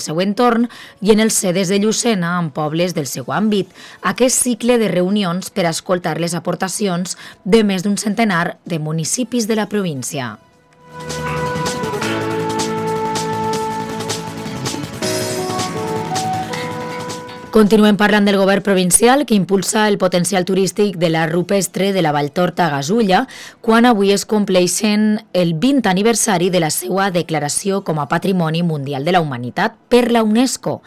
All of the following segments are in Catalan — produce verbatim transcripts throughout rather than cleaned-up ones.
seu entorn i en els sedes de Llucena en pobles del seu àmbit. Aquest cicle de reunions per a escoltar les aportacions de més d'un centenar de municipis de la província. Continuem parlant del govern provincial que impulsa el potencial turístic de la rupestre de la Valltorta a Gasulla quan avui es compleixen el vint aniversari de la seva declaració com a Patrimoni Mundial de la Humanitat per la UNESCO.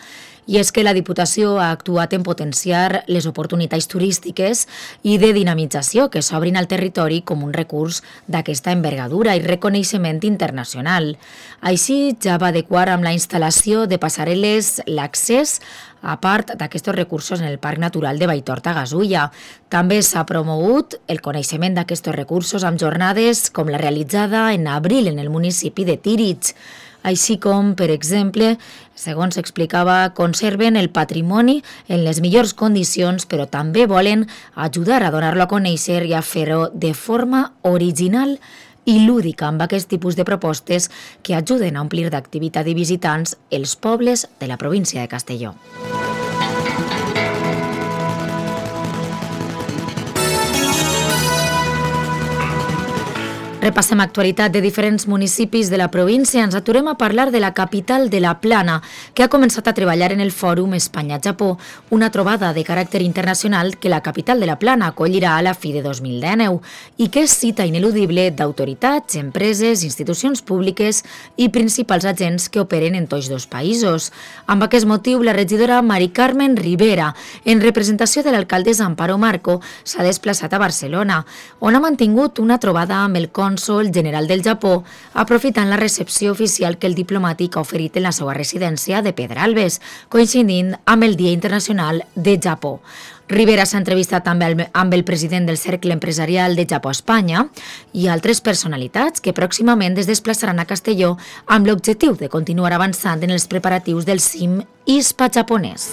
I és que la Diputació ha actuat en potenciar les oportunitats turístiques i de dinamització que s'obrin al territori com un recurs d'aquesta envergadura i reconeixement internacional. Així ja va adequar amb la instal·lació de passarel·les l'accés a part d'aquests recursos en el Parc Natural de Valltorta-Gasulla. També s'ha promogut el coneixement d'aquests recursos amb jornades com la realitzada en abril en el municipi de Tírig, així com, per exemple, segons explicava, conserven el patrimoni en les millors condicions, però també volen ajudar a donar-lo a conèixer i a fer-ho de forma original i lúdica amb aquest tipus de propostes que ajuden a omplir d'activitat i visitants els pobles de la província de Castelló. Repassem actualitat de diferents municipis de la província. Ens aturem a parlar de la capital de la Plana, que ha començat a treballar en el Fòrum Espanya-Japó, una trobada de caràcter internacional que la capital de la Plana acollirà a la fi de dos mil dinou i que és cita ineludible d'autoritats, empreses, institucions públiques i principals agents que operen en tots dos països. Amb aquest motiu, la regidora Mari Carmen Rivera, en representació de l'alcaldessa Amparo Marco, s'ha desplaçat a Barcelona, on ha mantingut una trobada amb el cònsol general del Japó, aprofitant la recepció oficial que el diplomàtic ha oferit en la seva residència de Pedralbes, coincidint amb el Dia Internacional de Japó. Rivera s'ha entrevistat també amb el president del Cercle Empresarial de Japó-Espanya i altres personalitats que pròximament es desplaçaran a Castelló amb l'objectiu de continuar avançant en els preparatius del cim I S P A japonès.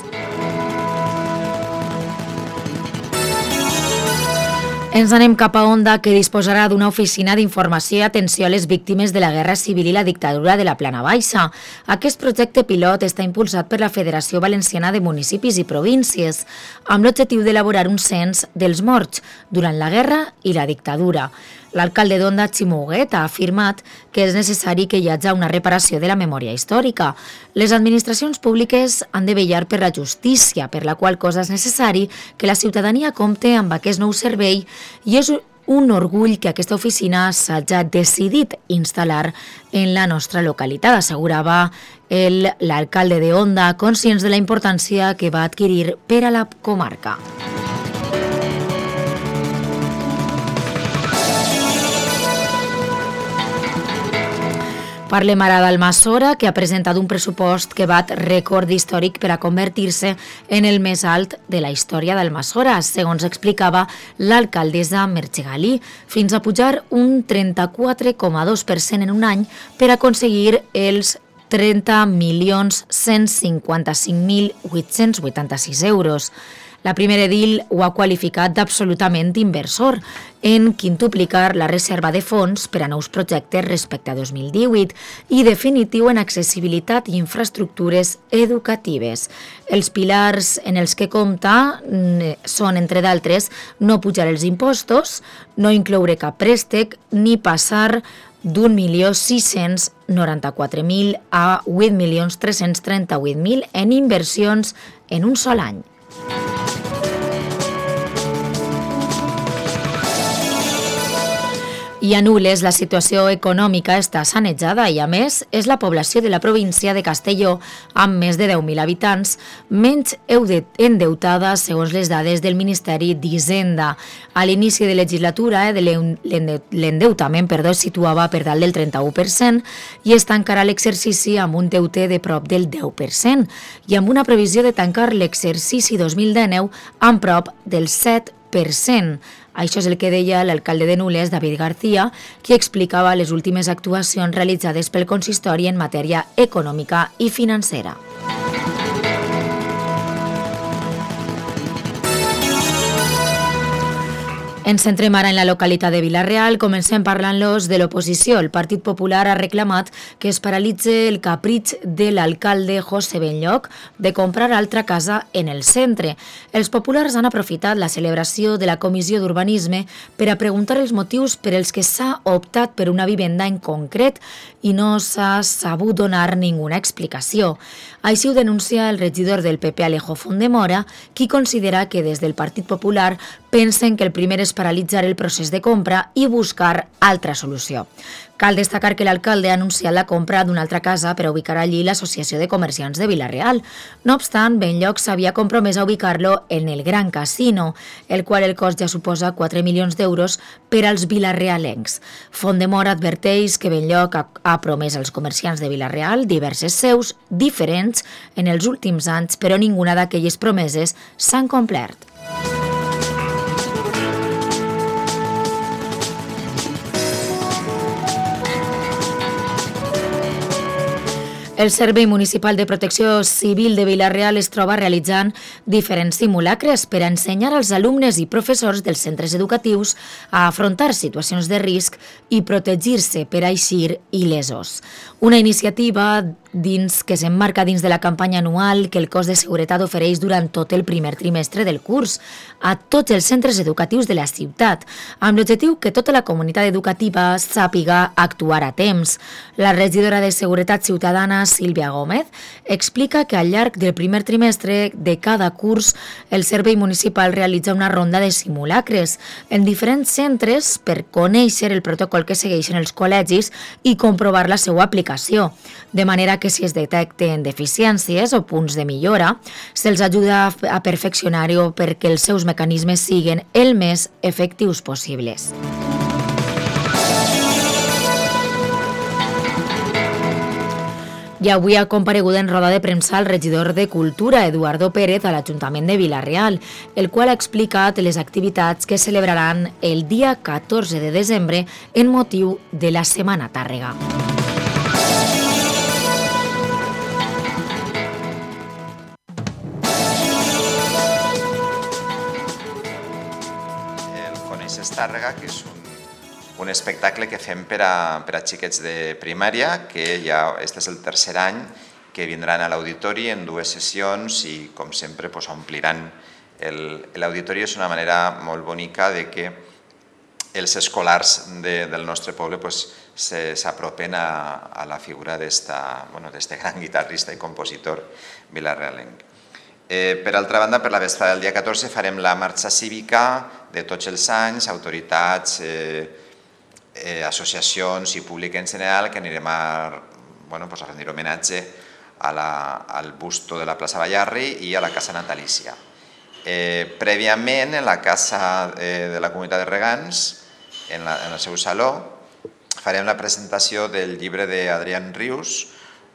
Ens anem cap a Onda, que disposarà d'una oficina d'informació i atenció a les víctimes de la Guerra Civil i la dictadura de la Plana Baixa. Aquest projecte pilot està impulsat per la Federació Valenciana de Municipis i Províncies, amb l'objectiu d'elaborar un cens dels morts durant la guerra i la dictadura. L'alcalde d'Onda, Ximo Huguet, ha afirmat que és necessari que hi hagi una reparació de la memòria històrica. Les administracions públiques han de vetllar per la justícia, per la qual cosa és necessari que la ciutadania compte amb aquest nou servei i és un orgull que aquesta oficina s'hagi decidit instal·lar en la nostra localitat, assegurava l'alcalde d'Onda, conscients de la importància que va adquirir per a la comarca. Parlem ara d'Almassora, que ha presentat un pressupost que bat rècord històric per a convertir-se en el més alt de la història d'Almassora, segons explicava l'alcaldessa Merche Galí, fins a pujar un trenta-quatre coma dos per cent en un any per aconseguir els trenta milions cent cinquanta-cinc mil vuit-cents vuitanta-sis euros. La primera edil ho ha qualificat d'absolutament inversor en quintuplicar la reserva de fons per a nous projectes respecte a dos mil divuit i definitiu en accessibilitat i infraestructures educatives. Els pilars en els que compta són, entre d'altres, no pujar els impostos, no incloure cap préstec ni passar d'un milió sis-cents noranta-quatre mil a vuit milions tres-cents trenta-vuit mil en inversions en un sol any. I a Nules la situació econòmica està sanejada i, a més, és la població de la província de Castelló, amb més de deu mil habitants, menys endeutada segons les dades del Ministeri d'Hisenda. A l'inici de legislatura, eh, l'endeutament perdó, es situava per dalt del trenta-u per cent i es tancarà l'exercici amb un deute de prop del deu per cent i amb una previsió de tancar l'exercici dos mil dinou amb prop del set per cent. Això és el que deia l'alcalde de Nules, David García, qui explicava les últimes actuacions realitzades pel consistori en matèria econòmica i financera. Ens centrem ara en la localitat de Vila-real. Comencem parlant-los de l'oposició. El Partit Popular ha reclamat que es paralitze el capritx de l'alcalde José Benlloch de comprar altra casa en el centre. Els populars han aprofitat la celebració de la Comissió d'Urbanisme per a preguntar els motius per els que s'ha optat per una vivenda en concret i no s'ha sabut donar ninguna explicació. Així ho denuncia el regidor del P P Alejo Fondemora, qui considera que des del Partit Popular pensen que el primer és paralitzar el procés de compra i buscar altra solució. Cal destacar que l'alcalde ha anunciat la compra d'una altra casa per a ubicar allí l'Associació de Comerciants de Vila-real. No obstant, Benlloch s'havia compromès a ubicar-lo en el Gran Casino, el qual el cost ja suposa quatre milions d'euros per als vilarealencs. Fondemora adverteix que Benlloch ha, ha promès als comerciants de Vila-real diverses seus diferents en els últims anys, però ninguna d'aquelles promeses s'han complert. El Servei Municipal de Protecció Civil de Vila-real es troba realitzant diferents simulacres per a ensenyar als alumnes i professors dels centres educatius a afrontar situacions de risc i protegir-se per a eixir il·lesos. Una iniciativa dins que s'emmarca dins de la campanya anual que el cos de seguretat ofereix durant tot el primer trimestre del curs a tots els centres educatius de la ciutat, amb l'objectiu que tota la comunitat educativa sàpiga actuar a temps. La regidora de Seguretat Ciutadana, Sílvia Gómez, explica que al llarg del primer trimestre de cada curs el Servei Municipal realitza una ronda de simulacres en diferents centres per conèixer el protocol que segueixen els col·legis i comprovar la seva aplicació, de manera que si es detecten deficiències o punts de millora, se'ls ajuda a perfeccionar-ho perquè els seus mecanismes siguin el més efectius possibles. I avui ha comparegut en roda de premsa el regidor de Cultura, Eduardo Pérez, a l'Ajuntament de Vila-real, el qual ha explicat les activitats que celebraran el dia catorze de desembre en motiu de la Setmana Tàrrega. Tàrrega, que és un, un espectacle que fem per a, per a xiquets de primària, que ja este és el tercer any que vindran a l'auditori en dues sessions i, com sempre, pues, ompliran l'auditori. És una manera molt bonica de que els escolars de, del nostre poble pues, s'apropen a, a la figura d'esta, bueno, d'este gran guitarrista i compositor vilarealenc. Eh, per altra banda, per la vesprada del dia catorze farem la marxa cívica de tots els anys, autoritats, eh, eh, associacions i públic en general, que anirem a, bueno, pues a rendir homenatge a la, al busto de la plaça Ballarri i a la casa natalícia. Eh, prèviament, en la casa eh, de la comunitat de regants, en, la, en el seu saló, farem la presentació del llibre d'Adrián Rius,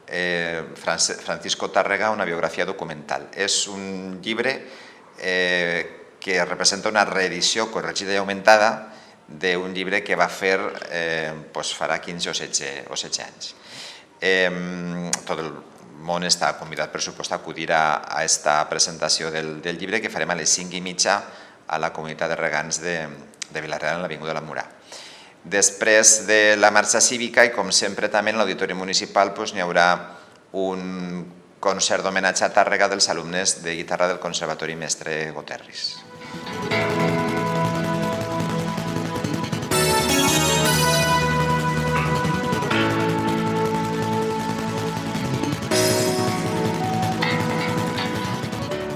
Eh, Francisco Tàrrega, una biografia documental. És un llibre eh, que representa una reedició corregida i augmentada d'un llibre que va fer eh, pues farà quinze o setze anys. Eh, tot el món està convidat, per supost, a acudir a aquesta presentació del, del llibre que farem a les cinc i mitja a la comunitat de regants de, de Vila-real, en l'Avinguda de la Murà. Després de la marxa cívica i, com sempre, també en l'auditori municipal pues, n'hi haurà un concert d'homenatge a Tàrrega dels alumnes de guitarra del Conservatori Mestre Goterris.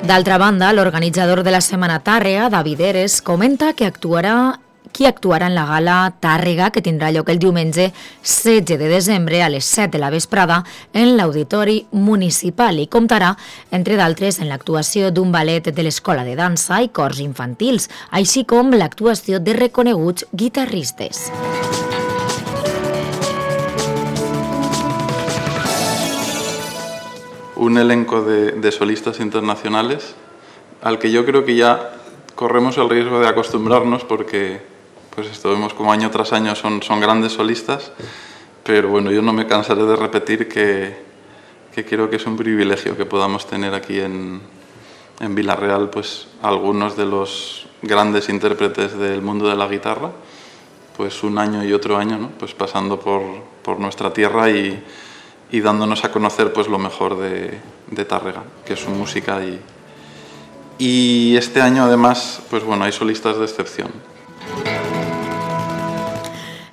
D'altra banda, l'organitzador de la Setmana Tàrrega, David Eres, comenta que actuarà qui actuarà en la gala Tàrrega, que tindrà lloc el diumenge setze de desembre a les set de la vesprada en l'Auditori Municipal i comptarà, entre d'altres, en l'actuació d'un ballet de l'Escola de Dansa i cors infantils, així com l'actuació de reconeguts guitarristes. Un elenco de, de solistas internacionales al que yo creo que ya corremos el riesgo de acostumbrarnos porque pues esto vemos como año tras año son, son grandes solistas, pero bueno, yo no me cansaré de repetir que, que creo que es un privilegio que podamos tener aquí en, en Vila-real pues algunos de los grandes intérpretes del mundo de la guitarra, pues un año y otro año, ¿no? Pues pasando por, por nuestra tierra y, y dándonos a conocer pues lo mejor de, de Tàrrega, que es su música. Y, y este año además pues bueno, hay solistas de excepción.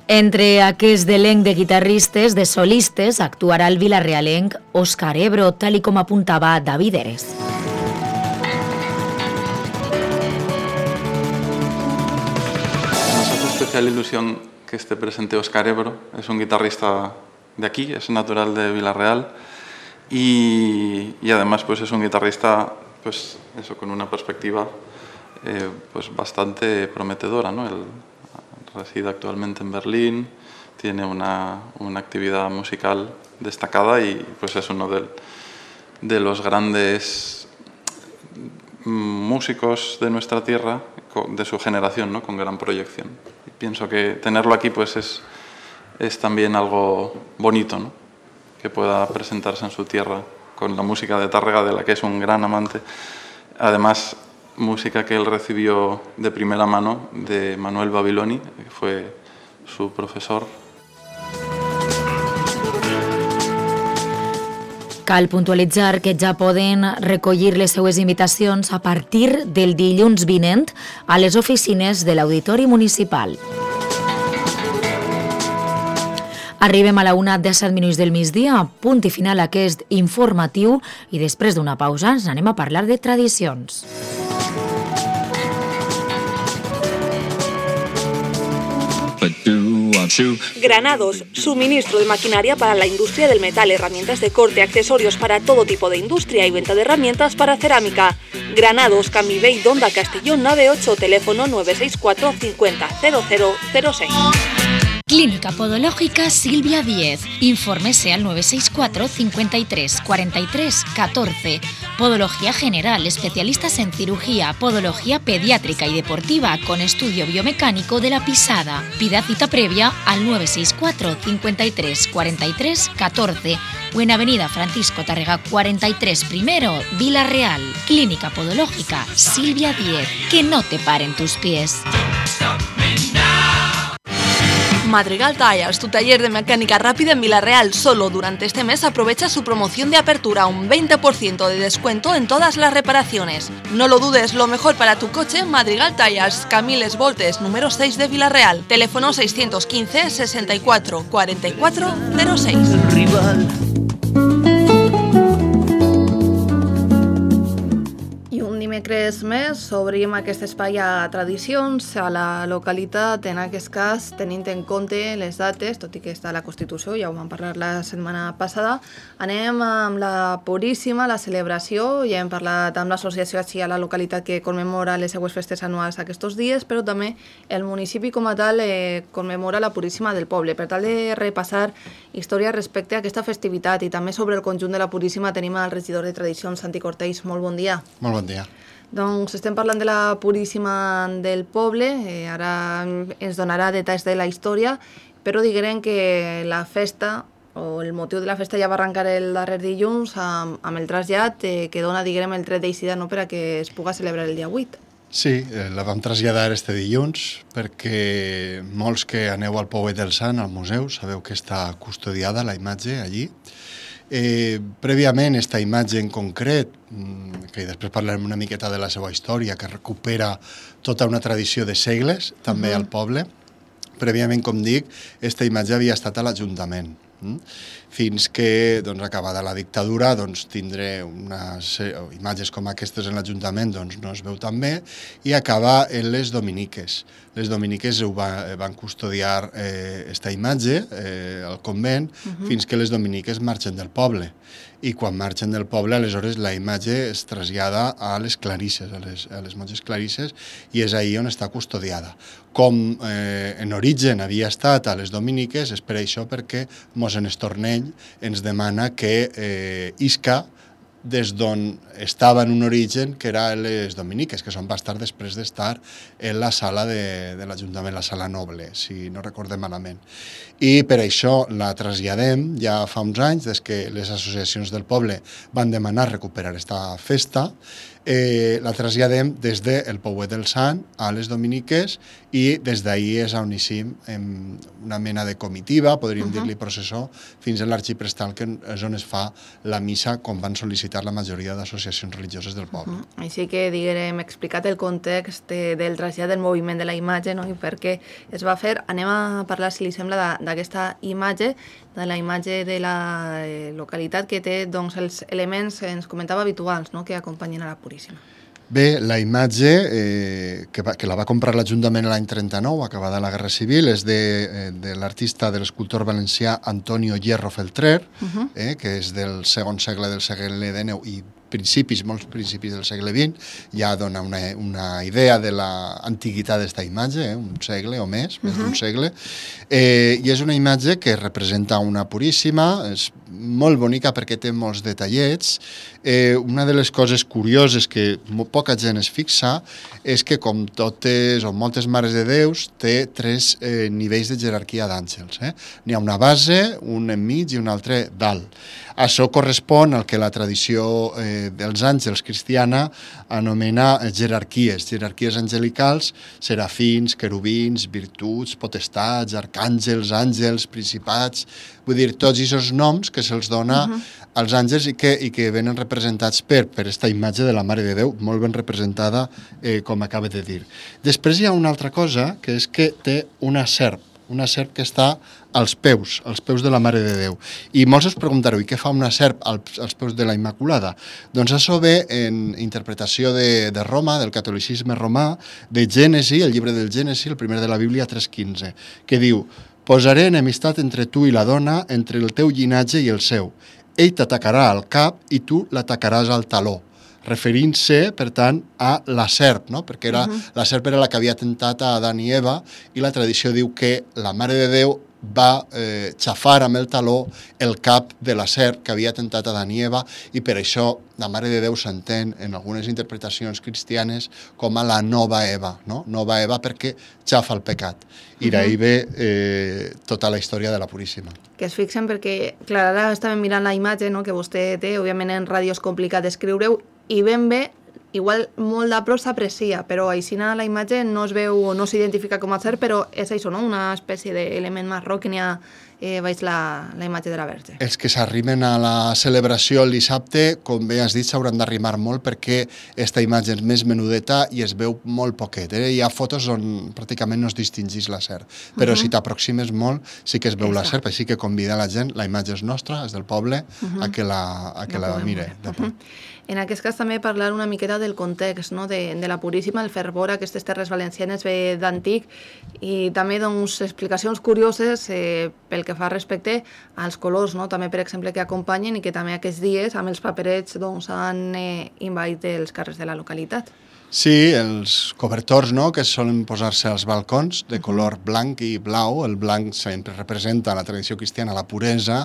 Entre aquest elenc de guitarristes, de solistes, actuarà el vilarealenc Òscar Ebro, tal i com apuntava David Eres. Nos hace especial ilusión que esté presente Òscar Ebro. Es un guitarrista de aquí, es natural de Vila-real y, y además pues es un guitarrista pues eso, con una perspectiva eh, pues bastante prometedora, ¿no? Él reside actualmente en Berlín, tiene una, una actividad musical destacada y pues es uno de, de los grandes músicos de nuestra tierra, de su generación, ¿no? Con gran proyección. Y pienso que tenerlo aquí pues es, es también algo bonito, ¿no? Que pueda presentarse en su tierra con la música de Tàrrega, de la que es un gran amante. Además, música que él recibió de primera mano de Manuel Babiloni, que fue su profesor. Cal puntualitzar que ja poden recollir les seues invitacions a partir del dilluns vinent a les oficines de l'Auditori Municipal. Arribem a la una, disset minuts del migdia, punt i final aquest informatiu, i després d'una pausa ens anem a parlar de tradicions. Granados, suministro de maquinaria para la industria del metal, herramientas de corte, accesorios para todo tipo de industria y venta de herramientas para cerámica. Granados, Camivey, Donda, Castellón, nave ocho, teléfono nueve seis cuatro cincuenta cero cero cero seis. Clínica Podológica Silvia Díez. Infórmese al nueve seis cuatro cincuenta y tres cuarenta y tres catorce. Podología general, especialistas en cirugía, podología pediátrica y deportiva con estudio biomecánico de la pisada. Pida cita previa al nueve seis cuatro cincuenta y tres cuarenta y tres catorce o en Avenida Francisco Tàrrega cuarenta y tres primero, Vila-real. Clínica Podológica Silvia Díez. Que no te paren tus pies. Madrigal Tires, tu taller de mecánica rápida en Vila-real. Solo durante este mes aprovecha su promoción de apertura, un veinte por ciento de descuento en todas las reparaciones. No lo dudes, lo mejor para tu coche, Madrigal Tires, Camiles Voltes, número seis de Vila-real. Teléfono seiscientos quince sesenta y cuatro cuarenta y cuatro cero seis. Dimecres més obrim aquest espai a tradicions a la localitat, en aquest cas tenint en compte les dates, tot i que està a la Constitució, ja ho vam parlar la setmana passada. Anem amb la Puríssima, la celebració, ja hem parlat amb l'associació així a la localitat que commemora les seues festes anuals aquests dies, però també el municipi com a tal eh, commemora la Puríssima del poble. Per tal de repassar història respecte a aquesta festivitat i també sobre el conjunt de la Puríssima tenim el regidor de Tradicions, Santi Cortells. Molt bon dia. Molt bon dia. Doncs estem parlant de la Puríssima del poble, eh, ara ens donarà detalls de la història, però diguem que la festa, o el motiu de la festa ja va arrencar el darrer dilluns amb, amb el trasllat eh, que dona, diguem, el tret d'eixida, no?, per a que es puga celebrar el dia vuit. Sí, eh, la vam traslladar este dilluns perquè molts que aneu al Pouet del Sant, al museu, sabeu que està custodiada la imatge allí. Eh, prèviament, esta imatge en concret, que després parlarem una miqueta de la seva història, que recupera tota una tradició de segles, també uh-huh. al poble, prèviament, com dic, esta imatge havia estat a l'Ajuntament. Fins que, doncs, acabada la dictadura, doncs, tindre unes imatges com aquestes en l'Ajuntament doncs, no es veu tan bé, i acaba en les dominiques. Les dominiques ho va, van custodiar eh, esta imatge eh, al convent uh-huh. fins que les dominiques marxen del poble. I quan marxen del poble, aleshores la imatge es trasllada a les clarisses, a les, a les monges clarisses, i és ahí on està custodiada. Com eh, en origen havia estat a les dominiques, és per això perquè mossèn Estornell ens demana que eh, isca des d'on estava en un origen, que era les dominiques, que són va estar després d'estar en la sala de, de l'Ajuntament, la sala noble, si no recordem malament. I per això la traslladem ja fa uns anys, des que les associacions del poble van demanar recuperar esta festa, eh, la traslladem des del Pouet del Sant a les dominiques i des d'ahir és on eixim en una mena de comitiva, podríem uh -huh. dir-li processó, fins a l'arxiprestal, que és on es fa la missa, com van sol·licitar la majoria d'associacions religioses del poble. Uh -huh. Així que, diguem, explicat el context del trasllat del moviment de la imatge, no? I per què es va fer, anem a parlar, si li sembla, d'aquesta imatge, de la imatge de la localitat que té doncs, els elements, ens comentava, habituals, no?, que acompanyen a la Puríssima. Bé, la imatge eh, que, va, que la va comprar l'Ajuntament l'any trenta-nou, acabada la Guerra Civil, és de, de l'artista, de l'escultor valencià Antonio Hierro Feltrer, uh-huh. eh, que és del segon segle del segle dinou i principis, molts principis del segle vint, ja dona una, una idea de l'antiguitat d'esta imatge, eh, un segle o més, més uh-huh. d'un segle, eh, i és una imatge que representa una Puríssima, és molt bonica perquè té molts detallets. Eh, una de les coses curioses que poca gent es fixa és que, com totes o moltes mares de Déus, té tres eh, nivells de jerarquia d'àngels. Eh? N'hi ha una base, un enmig i un altre dalt. Això correspon al que la tradició eh, dels àngels cristiana anomena jerarquies, jerarquies angelicals, serafins, querubins, virtuts, potestats, arcàngels, àngels, principats, vull dir, tots aquests noms que se'ls dona uh-huh. als àngels i que, i que venen representats per, per esta imatge de la Mare de Déu, molt ben representada, eh, com acaba de dir. Després hi ha una altra cosa, que és que té una serp, una serp que està als peus, als peus de la Mare de Déu. I molts us preguntareu, i què fa una serp als, als peus de la Immaculada? Doncs això ve en interpretació de, de Roma, del catolicisme romà, de Gènesi, el llibre del Gènesi, el primer de la Bíblia, tres quinze, que diu: «Posaré enemistat entre tu i la dona, entre el teu llinatge i el seu. Ell t'atacarà al cap i tu l'atacaràs al taló», referint-se, per tant, a la serp, no? Perquè era, uh-huh. la serp era la que havia tentat a Adán i Eva, i la tradició diu que la Mare de Déu va eh, xafar amb el taló el cap de la serp que havia tentat a Adán i Eva, i per això la Mare de Déu s'entén en algunes interpretacions cristianes com a la nova Eva, no? Nova Eva perquè xafa el pecat. I d'ahir ve eh, tota la història de la Puríssima. Que es fixen perquè, clar, ara estàvem mirant la imatge, no?, que vostè té, òbviament en ràdio és complicat d'escriure-ho, i ben bé, igual molt de prop s'aprecia, però així la imatge no es veu o no s'identifica com a cert, però és això, no?, una espècie d'element marró que n'hi ha eh, baix la, la imatge de la Verge. Els que s'arrimen a la celebració el dissabte, com bé has dit, s'hauran d'arrimar molt perquè esta imatge és més menudeta i es veu molt poquet. Eh? Hi ha fotos on pràcticament no es distingís la serp, però uh-huh. si t'aproximes molt sí que es veu Exacte. La serp, així que convida la gent, la imatge és nostra, és del poble, uh-huh. a que la, a que no la mire. Uh-huh. En aquest cas també parlar una miqueta del context, no?, de, de la Puríssima, el fervor a aquestes terres valencianes ve d'antic, i també doncs, explicacions curioses eh, pel que fa respecte als colors, no?, també per exemple que acompanyen i que també aquests dies amb els paperets doncs, han eh, invaït els carrers de la localitat. Sí, els cobertors, no?, que solen posar-se als balcons de color blanc i blau. El blanc sempre representa la tradició cristiana, la puresa,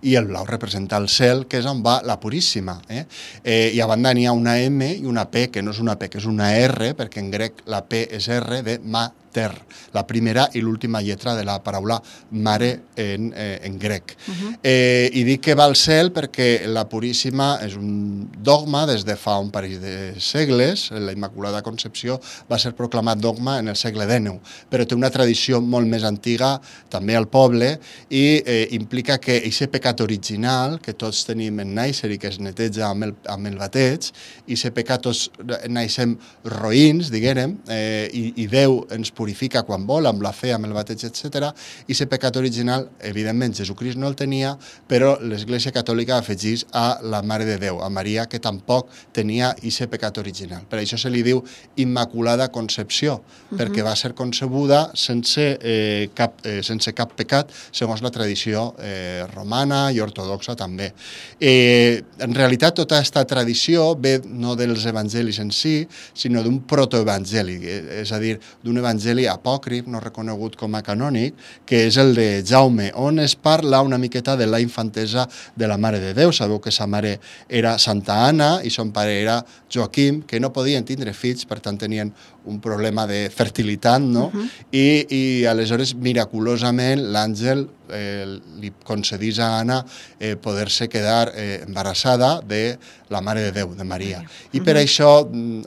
i el blau representa el cel, que és on va la Puríssima. Eh? Eh, I a banda n'hi ha una M i una P, que no és una P, que és una R, perquè en grec la P és R, de mater, la primera i l'última lletra de la paraula mare en, eh, en grec. Uh-huh. eh, I dic que va al cel perquè la Puríssima és un dogma des de fa un parell de segles. La Immaculada Concepció va ser proclamat dogma en el segle dinou, però té una tradició molt més antiga també al poble i eh, implica que aquest pecat original que tots tenim en nàixer i que es neteja amb el, amb el bateig, i aquest pecat tots naixem roïns, diguem, eh, i, i Déu ens purifica quan vol, amb la fe, amb el bateig, etcètera. I aquest pecat original, evidentment, Jesucrist no el tenia, però l'Església Catòlica afegís a la Mare de Déu, a Maria, que tampoc tenia aquest pecat original. Per això se li diu Immaculada Concepció, uh-huh. perquè va ser concebuda sense, eh, cap, eh, sense cap pecat, segons la tradició eh, romana i ortodoxa també. Eh, en realitat, tota aquesta tradició ve no dels evangelis en si, sinó d'un protoevangeli, és a dir, d'un evangeli evangeli apòcrif, no reconegut com a canònic, que és el de Jaume, on es parla una miqueta de la infantesa de la Mare de Déu. Sabeu que sa mare era Santa Anna i son pare era Joaquim, que no podien tindre fills, per tant tenien un problema de fertilitat, no? Uh-huh. I, I aleshores, miraculosament, l'àngel eh, li concedís a Anna eh, poder-se quedar eh, embarassada de la Mare de Déu, de Maria. I per uh-huh. això,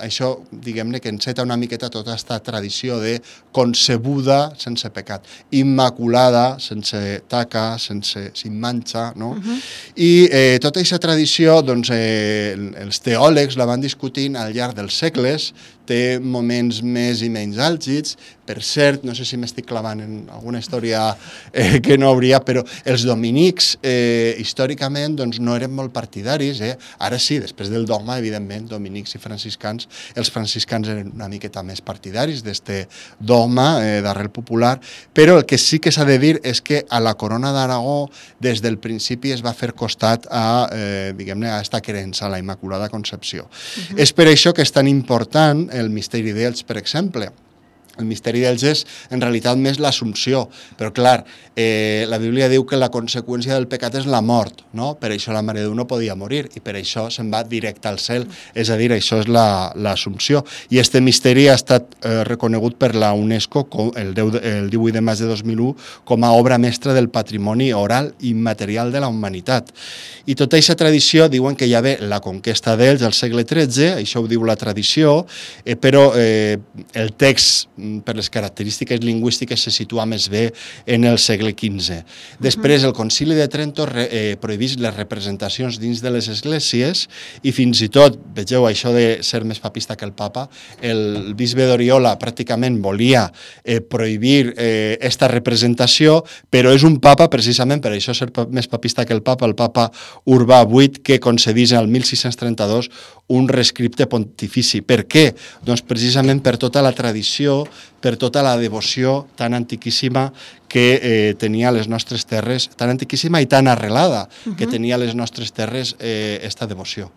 això, diguem-ne, que enceta una miqueta tota aquesta tradició de concebuda sense pecat, immaculada, sense taca, sense, sin manxa, no? Uh-huh. I eh, tota aquesta tradició, doncs, eh, els teòlegs la van discutint al llarg dels segles, té moments més i menys àlgids. Per cert, no sé si m'estic clavant en alguna història eh, que no hauria, però els dominics eh, històricament doncs, no eren molt partidaris. Eh? Ara sí, després del dogma, evidentment, dominics i franciscans, els franciscans eren una miqueta més partidaris d'este dogma eh, d'arrel popular, però el que sí que s'ha de dir és que a la Corona d'Aragó des del principi es va fer costat a, eh, diguem-ne, a esta creença, a la Immaculada Concepció. Uh-huh. És per això que és tan important el misteri d'Elx, per exemple. El misteri d'Elx és, en realitat, més l'Assumpció. Però, clar, eh, la Bíblia diu que la conseqüència del pecat és la mort, no? Per això la Mare de Déu no podia morir i per això se'n va directe al cel. És a dir, això és l'Assumpció. I este misteri ha estat eh, reconegut per la UNESCO com, el, deu, el divuit de maig de dos mil u com a obra mestra del patrimoni oral i immaterial de la humanitat. I tota aquesta tradició diuen que hi ha ve la conquesta d'Elx al segle tretze, això ho diu la tradició, eh, però eh, el text per les característiques lingüístiques se situa més bé en el segle quinze. Després el Concili de Trento eh, prohibís les representacions dins de les esglésies i fins i tot, vegeu, això de ser més papista que el papa, el bisbe d'Oriola pràcticament volia eh, prohibir eh, esta representació, però és un papa, precisament per això ser més papista que el papa, el papa Urbà vuit, que concedís el mil sis-cents trenta-dos un rescripte pontifici. Per què? Doncs precisament per tota la tradició, per tota la devoció tan antiquíssima que eh, tenia les nostres terres, tan antiquíssima i tan arrelada, uh-huh. que tenia les nostres terres eh, esta devoció.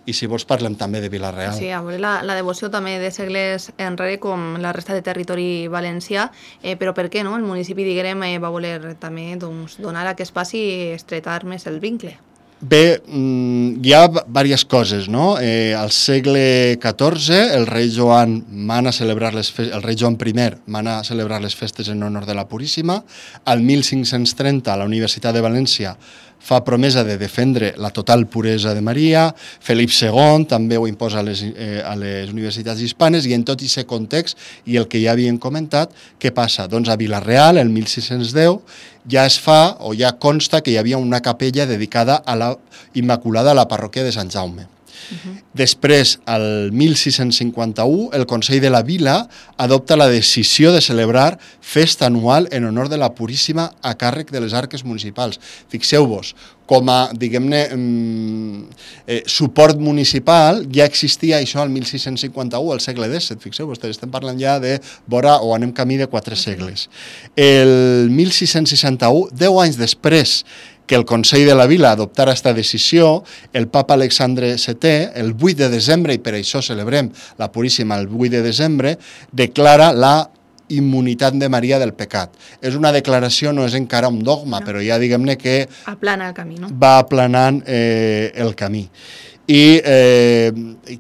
I si vols parlem també de Vila-real. Sí, a veure, la, la devoció també de segles enrere com la resta de territori valencià, eh, però per què no? El municipi d'Iguerem eh, va voler també doncs, donar aquest pas i estretar més el vincle. Bé, hi ha diverses coses, no? Eh, al segle catorze el rei Joan mana celebrar les festes, el rei Joan primer mana celebrar les festes en honor de la Puríssima. Al mil cinc-cents trenta la Universitat de València fa promesa de defendre la total puresa de Maria. Felip segon també ho imposa a les, eh, a les universitats hispanes i en tot aquest context i el que ja havien comentat, què passa? Doncs a Vila-real, el mil sis-cents deu, ja es fa o ja consta que hi havia una capella dedicada a la Immaculada a la parròquia de Sant Jaume. Uh-huh. Després, al mil sis-cents cinquanta-u, el Consell de la Vila adopta la decisió de celebrar festa anual en honor de la Puríssima a càrrec de les arques municipals. Fixeu-vos, com a, diguem-ne, eh, suport municipal ja existia això al mil sis-cents cinquanta-u, al segle disset. Fixeu-vos, estem parlant ja de vora o anem camí de quatre segles. El mil sis-cents seixanta-u, deu anys després que el Consell de la Vila adoptara aquesta decisió, el papa Alexandre setè, el vuit de desembre, i per això celebrem la Puríssima el vuit de desembre, declara la immunitat de Maria del pecat. És una declaració, no és encara un dogma, no. Però ja diguem-ne que aplana el camí, no? Va aplanant eh, el camí. I, eh,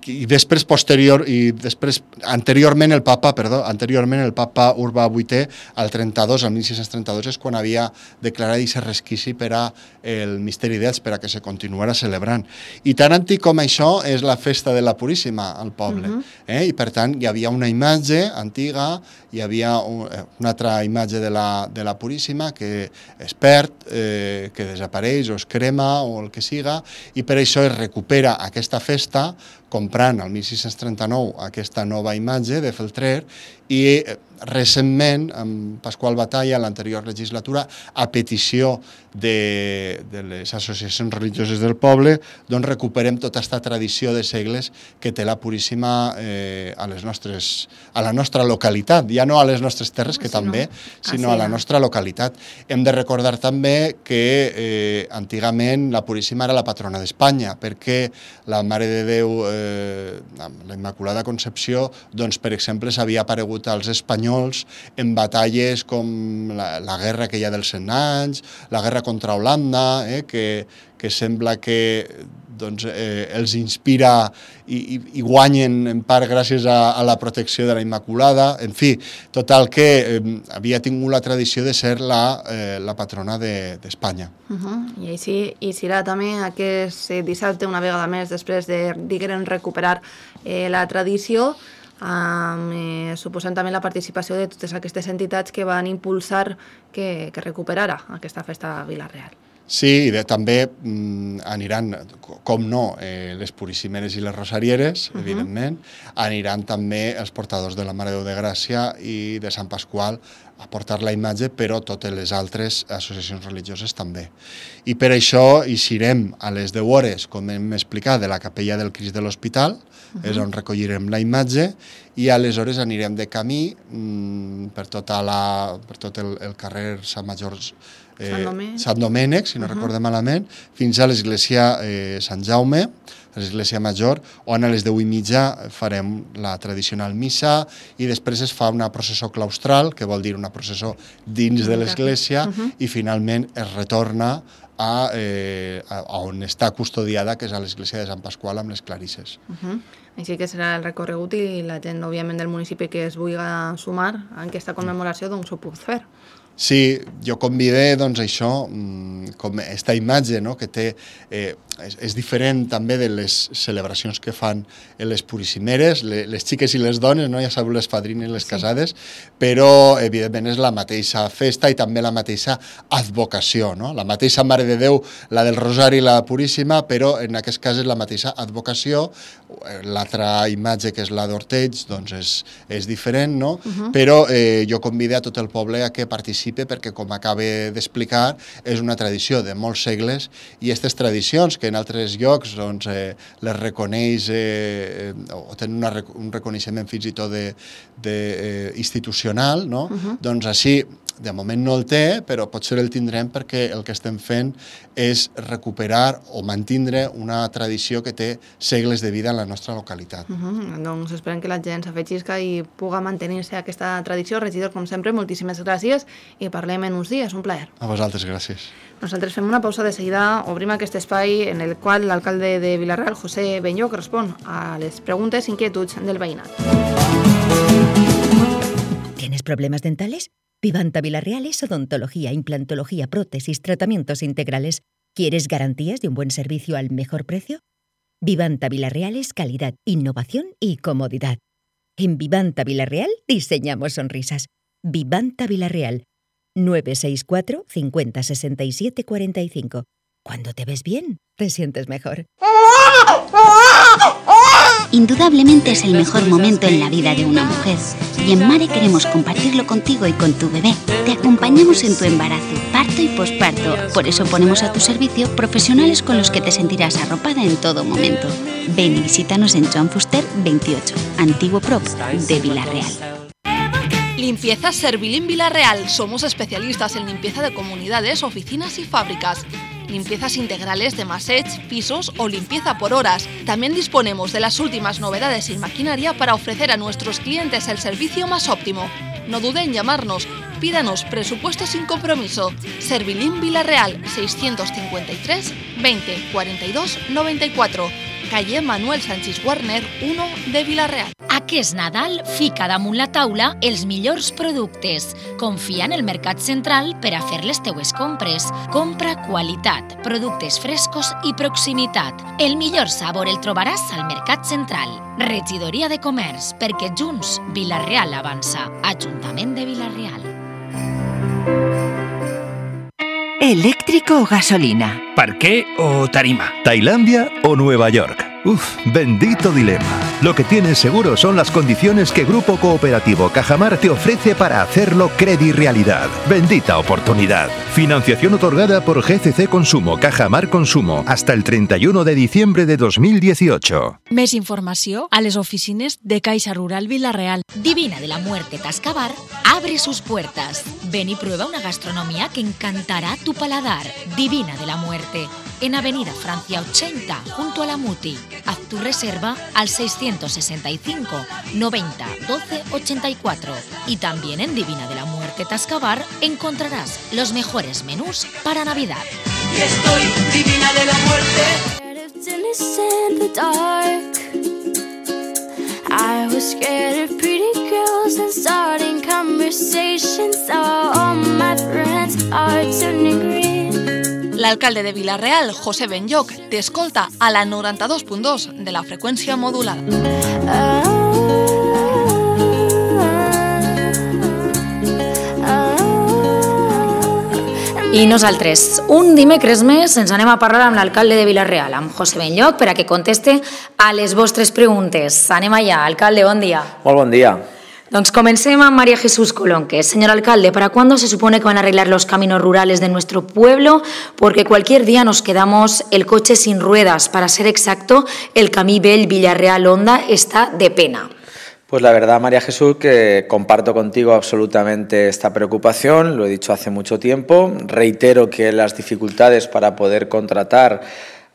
i després posterior i després anteriorment el papa, perdó, anteriorment el papa Urbà vuitè al trenta-dos, al mil sis-cents trenta-dos és quan havia declarat aquest resquici per a el misteri d'Elx, per a que se continuara celebrant. I tan antic com això és la festa de la Puríssima al poble. Uh-huh. eh? I per tant hi havia una imatge antiga, hi havia un, una altra imatge de la, de la Puríssima que es perd, eh, que desapareix o es crema o el que siga, i per això es recupera aquesta festa comprant el mil sis-cents trenta-nou aquesta nova imatge de Feltrer i recentment, amb Pasqual Batalla, l'anterior legislatura, a petició de, de les associacions religioses del poble, doncs recuperem tota aquesta tradició de segles que té la Puríssima eh, a, les nostres, a la nostra localitat, ja no a les nostres terres, que sí, també, no? sinó ah, sí, a la nostra localitat. Hem de recordar també que eh, antigament la Puríssima era la patrona d'Espanya, perquè la Mare de Déu, eh, la Immaculada Concepció, doncs, per exemple, s'havia aparegut tingut els espanyols en batalles com la, la guerra que hi ha dels cent anys, la guerra contra Holanda, eh, que, que sembla que doncs, eh, els inspira i, i, i guanyen en part gràcies a, a la protecció de la Immaculada. En fi, total que eh, havia tingut la tradició de ser la, eh, la patrona d'Espanya. De, uh-huh. I així i serà també aquest dissabte, una vegada més, després de, diguem, recuperar eh, la tradició, Um, eh, suposant també la participació de totes aquestes entitats que van impulsar que, que recuperara aquesta festa a Vila-real. Sí, i de, també mm, aniran, com no, eh, les Puríssimeres i les Rosarieres, uh-huh. evidentment, aniran també els portadors de la Mare de Déu de Gràcia i de Sant Pasqual a portar la imatge, però totes les altres associacions religioses també. I per això hi serem a les deu hores, com hem explicat, de la capella del Crist de l'Hospital, uh-huh. és on recollirem la imatge, i aleshores anirem de camí mm, per, tota la, per tot el, el carrer Sant Major, eh, Sant, Domènec. Sant Domènec, si no uh-huh. recordem malament, fins a l'església eh, Sant Jaume, l'església major, on a les deu i mitja farem la tradicional missa i després es fa una processó claustral, que vol dir una processó dins de l'església, uh-huh. i finalment es retorna a, eh, a on està custodiada, que és a l'església de Sant Pasqual amb les clarisses. Uh-huh. Així que serà el recorregut i la gent, òbviament, del municipi que es vulgui sumar a aquesta commemoració, doncs ho puc fer. Sí, jo convidé, doncs, això, com aquesta imatge, no?, que té, eh, és, és diferent també de les celebracions que fan les Puríssimeres, les, les xiques i les dones, no?, ja sabeu, les fadrines i les casades, sí. Però, evidentment, és la mateixa festa i també la mateixa advocació, no?, la mateixa Mare de Déu, la del Rosari i la Puríssima, però en aquest cas és la mateixa advocació. L'altra imatge, que és la d'Orteig, doncs és, és diferent, no?, uh-huh. però eh, jo convidé a tot el poble a que participi perquè, com acabe d'explicar, és una tradició de molts segles i aquestes tradicions que en altres llocs doncs, eh, les reconeix eh, o tenen una, un reconeixement fins i tot de, de, eh, institucional, no? Uh-huh. Doncs així, de moment no el té, però potser el tindrem perquè el que estem fent és recuperar o mantindre una tradició que té segles de vida en la nostra localitat. Uh-huh. Doncs esperem que la gent s'afegisca i puga mantenir-se aquesta tradició. Regidor, com sempre, moltíssimes gràcies i parlem en uns dies. Un plaer. A vosaltres, gràcies. Nosaltres fem una pausa de seguida, obrim aquest espai en el qual l'alcalde de Vila-real, José Benlloch, respon a les preguntes i inquietuds del veïnat. ¿Tienes problemas dentales? Vivanta Vila-real es odontología, implantología, prótesis, tratamientos integrales. ¿Quieres garantías de un buen servicio al mejor precio? Vivanta Vila-real es calidad, innovación y comodidad. En Vivanta Vila-real diseñamos sonrisas. Vivanta Vila-real, nueve seis cuatro, cincuenta, sesenta y siete, cuarenta y cinco. Cuando te ves bien, te sientes mejor. Indudablemente es el mejor momento en la vida de una mujer. Y en Mare queremos compartirlo contigo y con tu bebé. Te acompañamos en tu embarazo, parto y posparto. Por eso ponemos a tu servicio profesionales con los que te sentirás arropada en todo momento. Ven y visítanos en Joan Fuster veintiocho, antiguo Prop de Vila-real. Limpieza Servilín Vila-real. Somos especialistas en limpieza de comunidades, oficinas y fábricas. Limpiezas integrales de massage, pisos o limpieza por horas. También disponemos de las últimas novedades en maquinaria para ofrecer a nuestros clientes el servicio más óptimo. No dude en llamarnos. Pídanos presupuesto sin compromiso. Servilín Vila-real, seiscientos cincuenta y tres, veinte, cuarenta y dos, noventa y cuatro. Calle Manuel Sánchez Warner, uno de Vila-real. Aquest Nadal fica damunt la taula els millors productes. Confia en el Mercat Central per a fer les teues compres. Compra qualitat, productes frescos i proximitat. El millor sabor el trobaràs al Mercat Central. Regidoria de Comerç, perquè junts Vila-real avança. Ajuntament de Vila-real. ¿Eléctrico o gasolina? ¿Parqué o tarima? ¿Tailandia o Nueva York? Uf, bendito dilema. Lo que tienes seguro son las condiciones que Grupo Cooperativo Cajamar te ofrece para hacerlo credi realidad. Bendita oportunidad. Financiación otorgada por G C C Consumo, Cajamar Consumo, hasta el treinta y uno de diciembre de dos mil dieciocho. Més informació a les oficines de Caixa Rural Vila-real. Divina de la Muerte Tascabar abre sus puertas. Ven y prueba una gastronomía que encantará tu paladar. Divina de la Muerte, en Avenida Francia ochenta, junto a la Muti. Haz tu reserva al seiscientos sesenta y cinco, noventa, doce, ochenta y cuatro. Y también en Divina de la Muerte Tascabar encontrarás los mejores menús para Navidad. Y estoy divina de la muerte. I was scared of pretty girls and starting conversations. So all my friends are turning green. L'alcalde de Vila-real, José Benlloc, t'escolta a la noranta-dos punt dos de la freqüència modulada. Oh. I nosaltres, un dimecres més, ens anem a parlar amb l'alcalde de Vila-real, amb José Benlloc, per a que conteste a les vostres preguntes. Anem allà. Alcalde, bon dia. Molt bon dia. Doncs comencem amb María Jesús Colonque. Señor alcalde, ¿para cuándo se supone que van a arreglar los caminos rurales de nuestro pueblo? Porque cualquier día nos quedamos el coche sin ruedas. Para ser exacto, el camí Vell Villarreal-Onda está de pena. Pues la verdad, María Jesús, que comparto contigo absolutamente esta preocupación, lo he dicho hace mucho tiempo. Reitero que las dificultades para poder contratar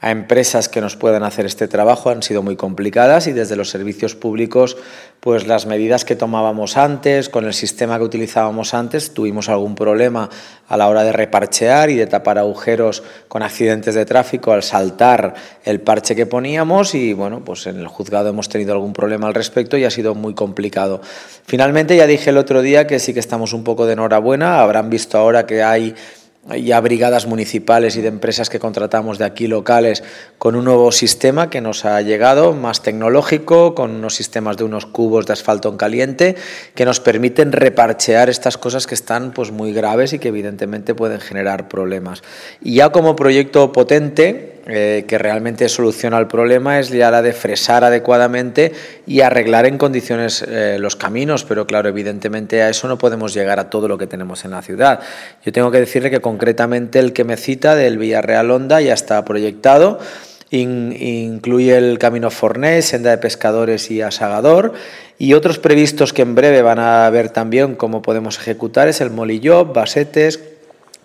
a empresas que nos puedan hacer este trabajo han sido muy complicadas y desde los servicios públicos, pues las medidas que tomábamos antes, con el sistema que utilizábamos antes, tuvimos algún problema a la hora de reparchear y de tapar agujeros con accidentes de tráfico al saltar el parche que poníamos y bueno, pues en el juzgado hemos tenido algún problema al respecto y ha sido muy complicado. Finalmente ya dije el otro día que sí que estamos un poco de enhorabuena, habrán visto ahora que hay ya brigadas municipales y de empresas que contratamos de aquí locales con un nuevo sistema que nos ha llegado, más tecnológico, con unos sistemas de unos cubos de asfalto en caliente que nos permiten reparchear estas cosas que están pues muy graves y que evidentemente pueden generar problemas. Y ya como proyecto potente, Eh, que realmente soluciona el problema, es ya la de fresar adecuadamente y arreglar en condiciones eh, los caminos, pero claro, evidentemente a eso no podemos llegar a todo lo que tenemos en la ciudad. Yo tengo que decirle que concretamente el que me cita del Villarreal-Onda ya está proyectado. In, incluye el camino Fornés, senda de pescadores y asagador, y otros previstos que en breve van a ver también cómo podemos ejecutar es el Molilló, Basetes,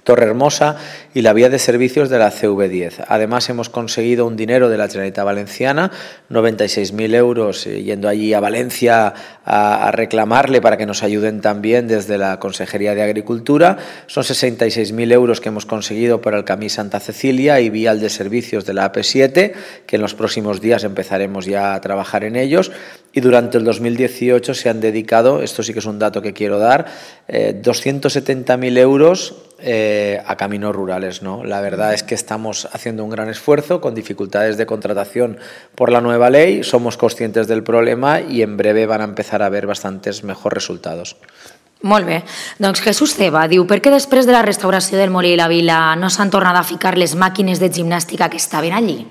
Torrehermosa y la vía de servicios de la C V diez. Además hemos conseguido un dinero de la Generalitat Valenciana, noventa y seis mil euros, eh, yendo allí a Valencia a, a reclamarle para que nos ayuden también desde la Consejería de Agricultura. Son sesenta y seis mil euros que hemos conseguido para el Camí Santa Cecilia y vial de servicios de la A P siete, que en los próximos días empezaremos ya a trabajar en ellos. Y durante el dos mil dieciocho se han dedicado, esto sí que es un dato que quiero dar, eh, doscientos setenta mil euros Eh, a caminos rurales, ¿no? La verdad es que estamos haciendo un gran esfuerzo con dificultades de contratación por la nueva ley, somos conscientes del problema y en breve van a empezar a ver bastantes mejores resultados. Molt bé. Doncs Jesús Ceba diu, per què després de la restauració del Molí i la Vila no s'han tornat a ficar les màquines de gimnàstica que estaven allí?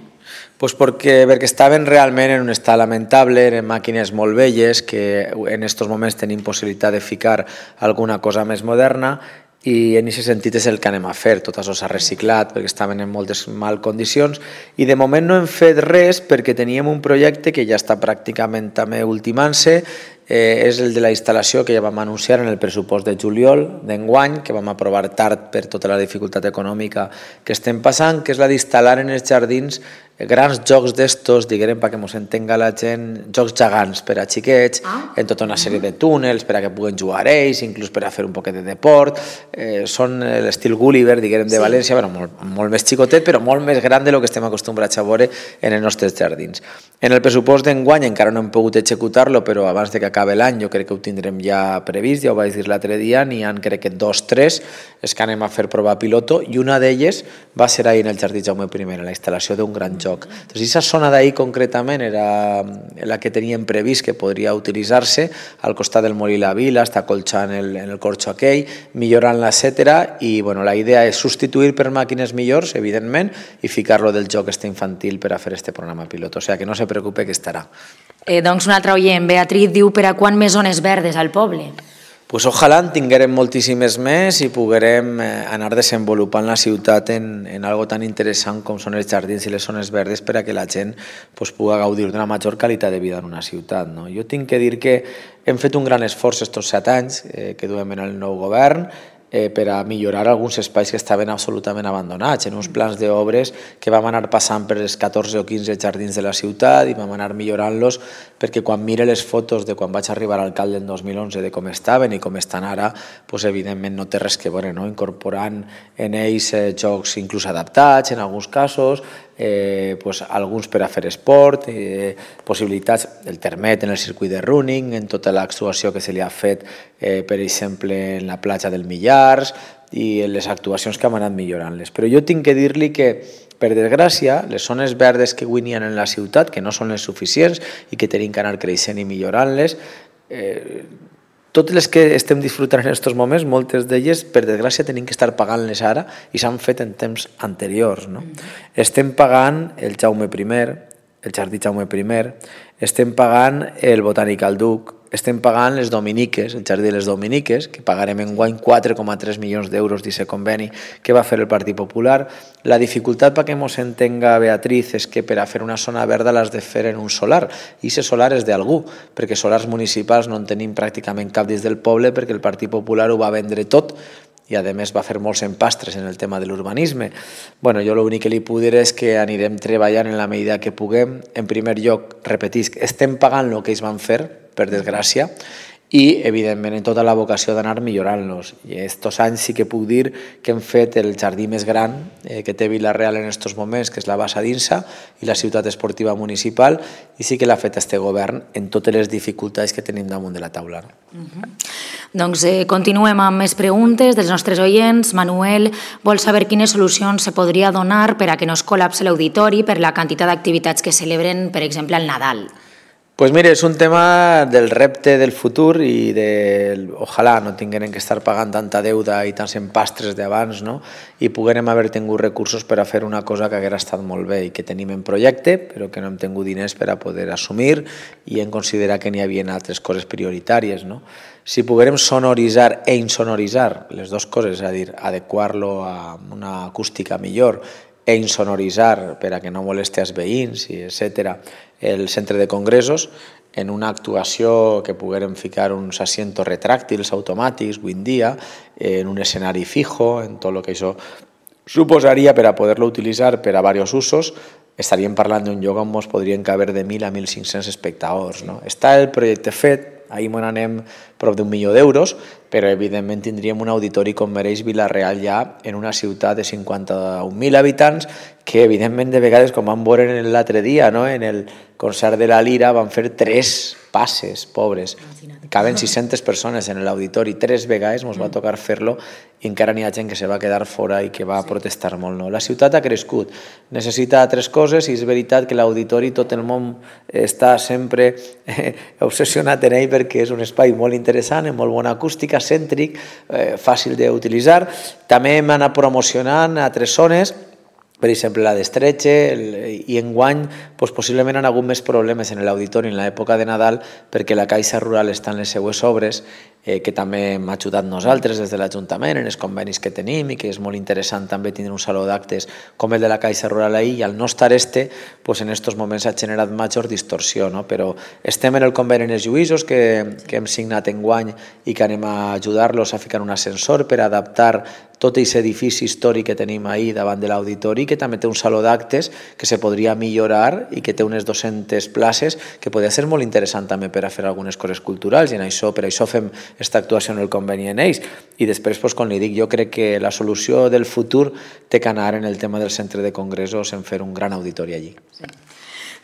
Pues porque, perquè estaven realment en un estat lamentable, eren màquines molt velles que en estos moments tenim possibilitat de ficar alguna cosa més moderna i en aquest sentit és el que anem a fer. Tot això s'ha reciclat perquè estaven en moltes mal condicions i de moment no hem fet res perquè teníem un projecte que ja està pràcticament també ultimant-se, eh, és el de la instal·lació que ja vam anunciar en el pressupost de juliol d'enguany, que vam aprovar tard per tota la dificultat econòmica que estem passant, que és la d'instal·lar en els jardins grans jocs d'estos, diguem, perquè ens entenga la gent, jocs gegants per a xiquets, ah. en tota una sèrie de túnels per a que puguen jugar ells, inclús per a fer un poquet de deport. Eh, són l'estil Gulliver, diguem, de sí. València, bueno, molt, molt més xicotet, però molt més gran de lo que estem acostumbrats a veure en els nostres jardins. En el pressupost d'enguany encara no hem pogut executar-lo, però abans de que acabi l'any jo crec que ho tindrem ja previst, ja ho vaig dir l'altre dia, n'hi ha crec que dos, tres, és que anem a fer prova piloto, i una d'elles va ser ahir en el Jardí Jaume primer, la instal·lació d'un gran joc. Entonces, esa zona d'ahir concretament era la que teníem previst que podria utilitzar-se al costat del Molí la Vila, està colxant el, en el corxo aquell, millorant-la, etcètera. I bueno, la idea és substituir per màquines millors, evidentment, i ficar-lo del joc este infantil per a fer este programa pilot. O sigui, que no se preocupe que estarà. Eh, doncs un altre oient, Beatriz, diu per a quan més zones verdes al poble? Pues ojalà en tinguérem moltíssimes més i poguérem anar desenvolupant la ciutat en, en algo tan interessant com són els jardins i les zones verdes per a que la gent pues, pugui gaudir d'una major qualitat de vida en una ciutat. No? Jo tinc que dir que hem fet un gran esforç estos set anys eh, que duem en el nou govern eh, per a millorar alguns espais que estaven absolutament abandonats, en uns plans d'obres que vam anar passant per els catorze o quinze jardins de la ciutat i vam anar millorant-los perquè quan mire les fotos de quan vaig arribar al alcalde en dos mil onze de com estaven i com estan ara, pues, evidentment no té res que veure, no? Incorporant en ells eh, jocs inclús adaptats en alguns casos, eh, pues, alguns per a fer esport, eh, possibilitats, el termet en el circuit de running, en tota l'actuació que se li ha fet, eh, per exemple, en la platja del Millars i en les actuacions que hem anat millorant-les. Però jo tinc que dir-li que, per desgràcia, les zones verdes que avui n'hi ha en la ciutat, que no són les suficients i que tenim que anar creixent i millorant-les, eh, totes les que estem disfrutant en aquests moments, moltes d'elles, per desgràcia, tenim que estar pagant-les ara i s'han fet en temps anteriors. No? Mm-hmm. Estem pagant el Jaume primer, el Jardí Jaume primer, estem pagant el Botànic Duc, estem pagant les Dominiques, el Jardí de les Dominiques, que pagarem enguany quatre coma tres milions d'euros d'aquest conveni que va fer el Partit Popular. La dificultat perquè ens entenga Beatriz és que per a fer una zona verda l'has de fer en un solar, i aquest solar és d'algú, perquè solars municipals no en tenim pràcticament cap dins del poble perquè el Partit Popular ho va vendre tot i a més va fer molts empastres en el tema de l'urbanisme. Bueno, jo l'únic que li puc dir és que anirem treballant en la medida que puguem. En primer lloc, repetisc, estem pagant el que ells van fer, per desgràcia, i evidentment en tota la vocació d'anar millorant-los. I estos anys sí que puc dir que hem fet el jardí més gran eh, que té Vila-real en estos moments, que és la Bassa d'Insa i la ciutat esportiva municipal, i sí que l'ha fet este govern en totes les dificultats que tenim damunt de la taula. Uh-huh. Doncs eh, continuem amb més preguntes dels nostres oients. Manuel vol saber quines solucions se podria donar per a que no es col·lapse l'auditori per la quantitat d'activitats que celebren, per exemple, al Nadal. Pues mire, és un tema del repte del futur i de, ojalà no tinguem que estar pagant tanta deuda i tants empastres d'abans, no? I poguérem haver tingut recursos per a fer una cosa que haguera estat molt bé i que tenim en projecte, però que no hem tingut diners per a poder assumir i en considerar que n'hi havia altres coses prioritàries, no? Si poguérem sonoritzar e insonoritzar les dues coses, és a dir, adequar-lo a una acústica millor e insonoritzar per a que no molesti als veïns, i etcètera, el centre de congressos, en una actuació que poguérem ficar uns asientos retràctils automàtics avui en dia, en un escenari fijo, en tot el que això suposaria per a poder-lo utilitzar per a diversos usos, estaríem parlant d'un lloc on ens podrien caber de mil a mil cinc-cents espectadors. No? Està el projecte fet, ahir me n'anem prop d'un milió d'euros, però evidentment tindríem un auditori com mereix Vila-real ja en una ciutat de cinquanta-un mil habitants que evidentment de vegades, com vam veure l'altre dia, no? En el concert de la Lira van fer tres passes, pobres. Caben sis-centes persones en l'auditori, tres vegades ens va tocar fer-lo i encara n'hi ha gent que se va quedar fora i que va protestar molt. No? La ciutat ha crescut, necessita altres coses i és veritat que l'auditori tot el món està sempre eh, obsessionat en ell perquè és un espai molt interessant, amb molt bona acústica, cèntric, eh, fàcil d'utilitzar. També hem anat promocionant altres zones, per exemple la d'Estretxe, i enguany doncs, possiblement han hagut més problemes en l'auditori en l'època de Nadal perquè la Caixa Rural està en les seues obres, eh, que també hem ajudat nosaltres des de l'Ajuntament en els convenis que tenim i que és molt interessant també tindre un saló d'actes com el de la Caixa Rural ahir, i al no estar este, doncs, en aquests moments ha generat major distorsió, no? Però estem en el conveni en els lluïsos que, que hem signat enguany i que anem a ajudar-los a ficar un ascensor per adaptar tot aquest edifici històric que tenim ahir davant de l'auditori, que també té un saló d'actes que se podria millorar i que té unes dues-centes places que podria ser molt interessant també per a fer algunes coses culturals, i en això, per això fem aquesta actuació en el conveni en ells. I després, doncs, com li dic, jo crec que la solució del futur té que anar en el tema del centre de congressos en fer un gran auditori allí. Sí.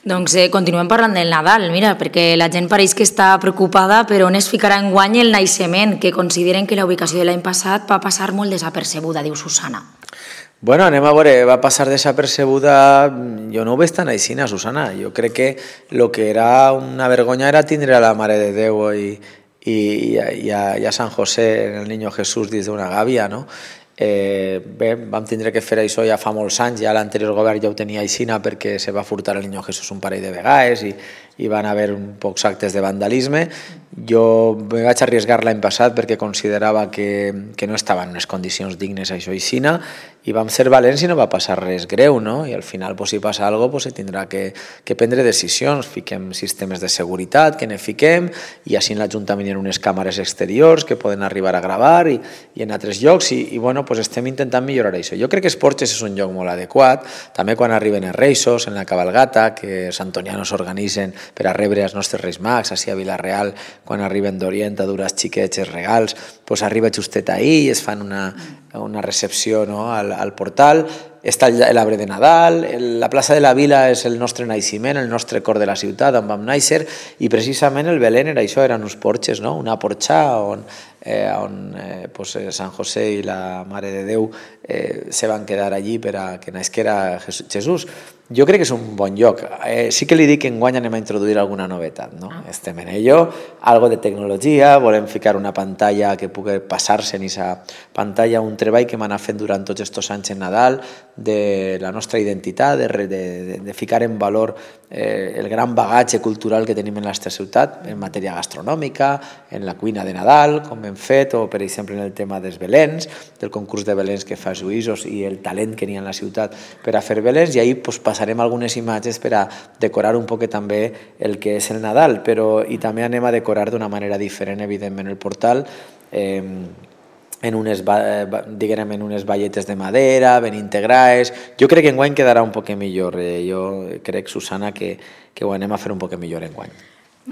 Doncs eh, continuem parlant del Nadal, mira, perquè la gent pareix que està preocupada, però on es ficarà enguany el naixement, que consideren que la ubicació de l'any passat va passar molt desapercebuda, diu Susana. Bueno, anem a veure, va passar desapercebuda, jo no ho veig tan així, Susana, jo crec que el que era una vergonya era tindre a la Mare de Déu i, i, i, a, i a Sant José, el Niño Jesús, dins d'una gàbia, no? Eh, bé, vam tindre que fer això ja fa molts anys, ja l'anterior govern ja ho tenia aixina perquè se va furtar el Niño Jesús un parell de vegades i, hi van haver pocs actes de vandalisme. Jo me vaig arriesgar l'any passat perquè considerava que, que no estava en unes condicions dignes això i xina, i vam ser valents i no va passar res greu, no? I al final, pues, si passa alguna cosa, pues, se tindrà que, que prendre decisions. Fiquem sistemes de seguretat, que ne fiquem, i així en l'Ajuntament hi ha unes càmeres exteriors que poden arribar a gravar i, i en altres llocs, i, i bueno, pues, estem intentant millorar això. Jo crec que Esporges és un lloc molt adequat, també quan arriben els Reis, en la cabalgata, que els antonianos organitzen per a rebre els nostres Reis Mags, així a Vila-real, quan arriben d'Orient a dur als xiquets els regals, pues arriba justet ahir i es fan una, una recepció, no?, al, al portal. Està l'arbre de Nadal, la plaça de la Vila és el nostre naixement, el nostre cor de la ciutat on vam néixer, i precisament el Belén era això, eren uns porxes, no? Una porxa on, eh, on eh, pues, Sant José i la Mare de Déu eh, se van quedar allí per a que nasquera Jesús. Jo crec que és un bon lloc. Eh, sí que li dic que enguany anem a introduir alguna novetat, no? Estem en ello, algo de tecnologia, volem ficar una pantalla que pugui passar-se en aquesta pantalla, un treball que m'ha anat fent durant tots aquests anys en Nadal, de la nostra identitat, de, de, de ficar en valor eh, el gran bagatge cultural que tenim en la nostra ciutat, en matèria gastronòmica, en la cuina de Nadal, com hem fet, o per exemple en el tema dels Belens, del concurs de Belens que fa Lluïsos i el talent que n'hi ha en la ciutat per a fer Belens, i ahir pues, passarem algunes imatges per a decorar un poc també el que és el Nadal, però i també anem a decorar d'una manera diferent, evidentment, el portal, eh, en unes, diguem, en unes balletes de madera, ben integrades. Jo crec que enguany quedarà un poc millor. Jo crec, Susana, que, que ho anem a fer un poc millor enguany.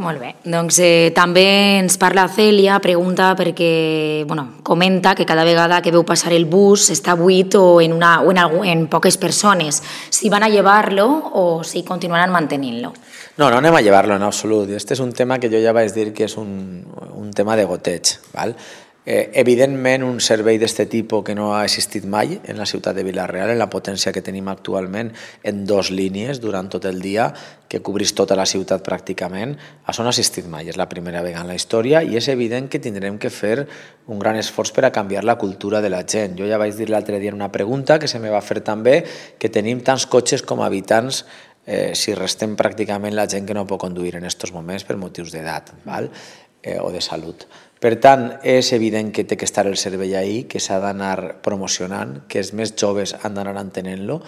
Molt bé. Doncs eh, també ens parla Cèlia, pregunta perquè, bueno, comenta que cada vegada que veu passar el bus està buit o en, una, o en, algun, en poques persones. Si van a llevar-lo o si continuaran mantenint-lo. No, no anem a llevar-lo en absolut. Este és un tema que jo ja vaig dir que és un, un tema de goteig, val? Eh, evidentment, un servei d'aquest tipus que no ha existit mai en la ciutat de Vila-real, en la potència que tenim actualment, en dos línies durant tot el dia, que cobrís tota la ciutat pràcticament, això no ha existit mai, és la primera vegada en la història, i és evident que tindrem que fer un gran esforç per a canviar la cultura de la gent. Jo ja vaig dir l'altre dia en una pregunta que se me va fer també, que tenim tants cotxes com habitants eh, si restem pràcticament la gent que no pot conduir en aquests moments per motius d'edat, val? Eh, o de salut. Per tant, és evident que té que estar el servei ahí, que s'ha d'anar promocionant, que els més joves han d'anar entenent-lo,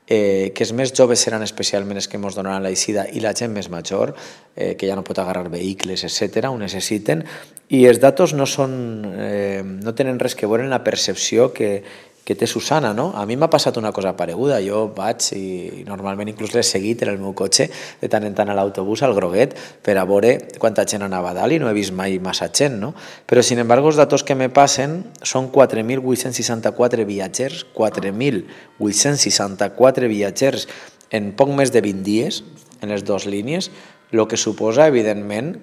eh, que els més joves seran especialment els que ens donaran l'eixida i la gent més major, eh, que ja no pot agarrar vehicles, etcètera, ho necessiten, i els datos no, són, eh, no tenen res que veure en la percepció que que té Susana, no? A mi m'ha passat una cosa pareguda. Jo vaig i normalment inclús l'he seguit en el meu cotxe de tant en tant a l'autobús, al Groguet, per a veure quanta gent anava a dalt i no he vist mai massa gent, no? Però, sin embargo, els datos que me passen són quatre mil vuit-cents seixanta-quatre viatgers, quatre mil vuit-cents seixanta-quatre viatgers en poc més de vint dies, en les dues línies, el que suposa, evidentment,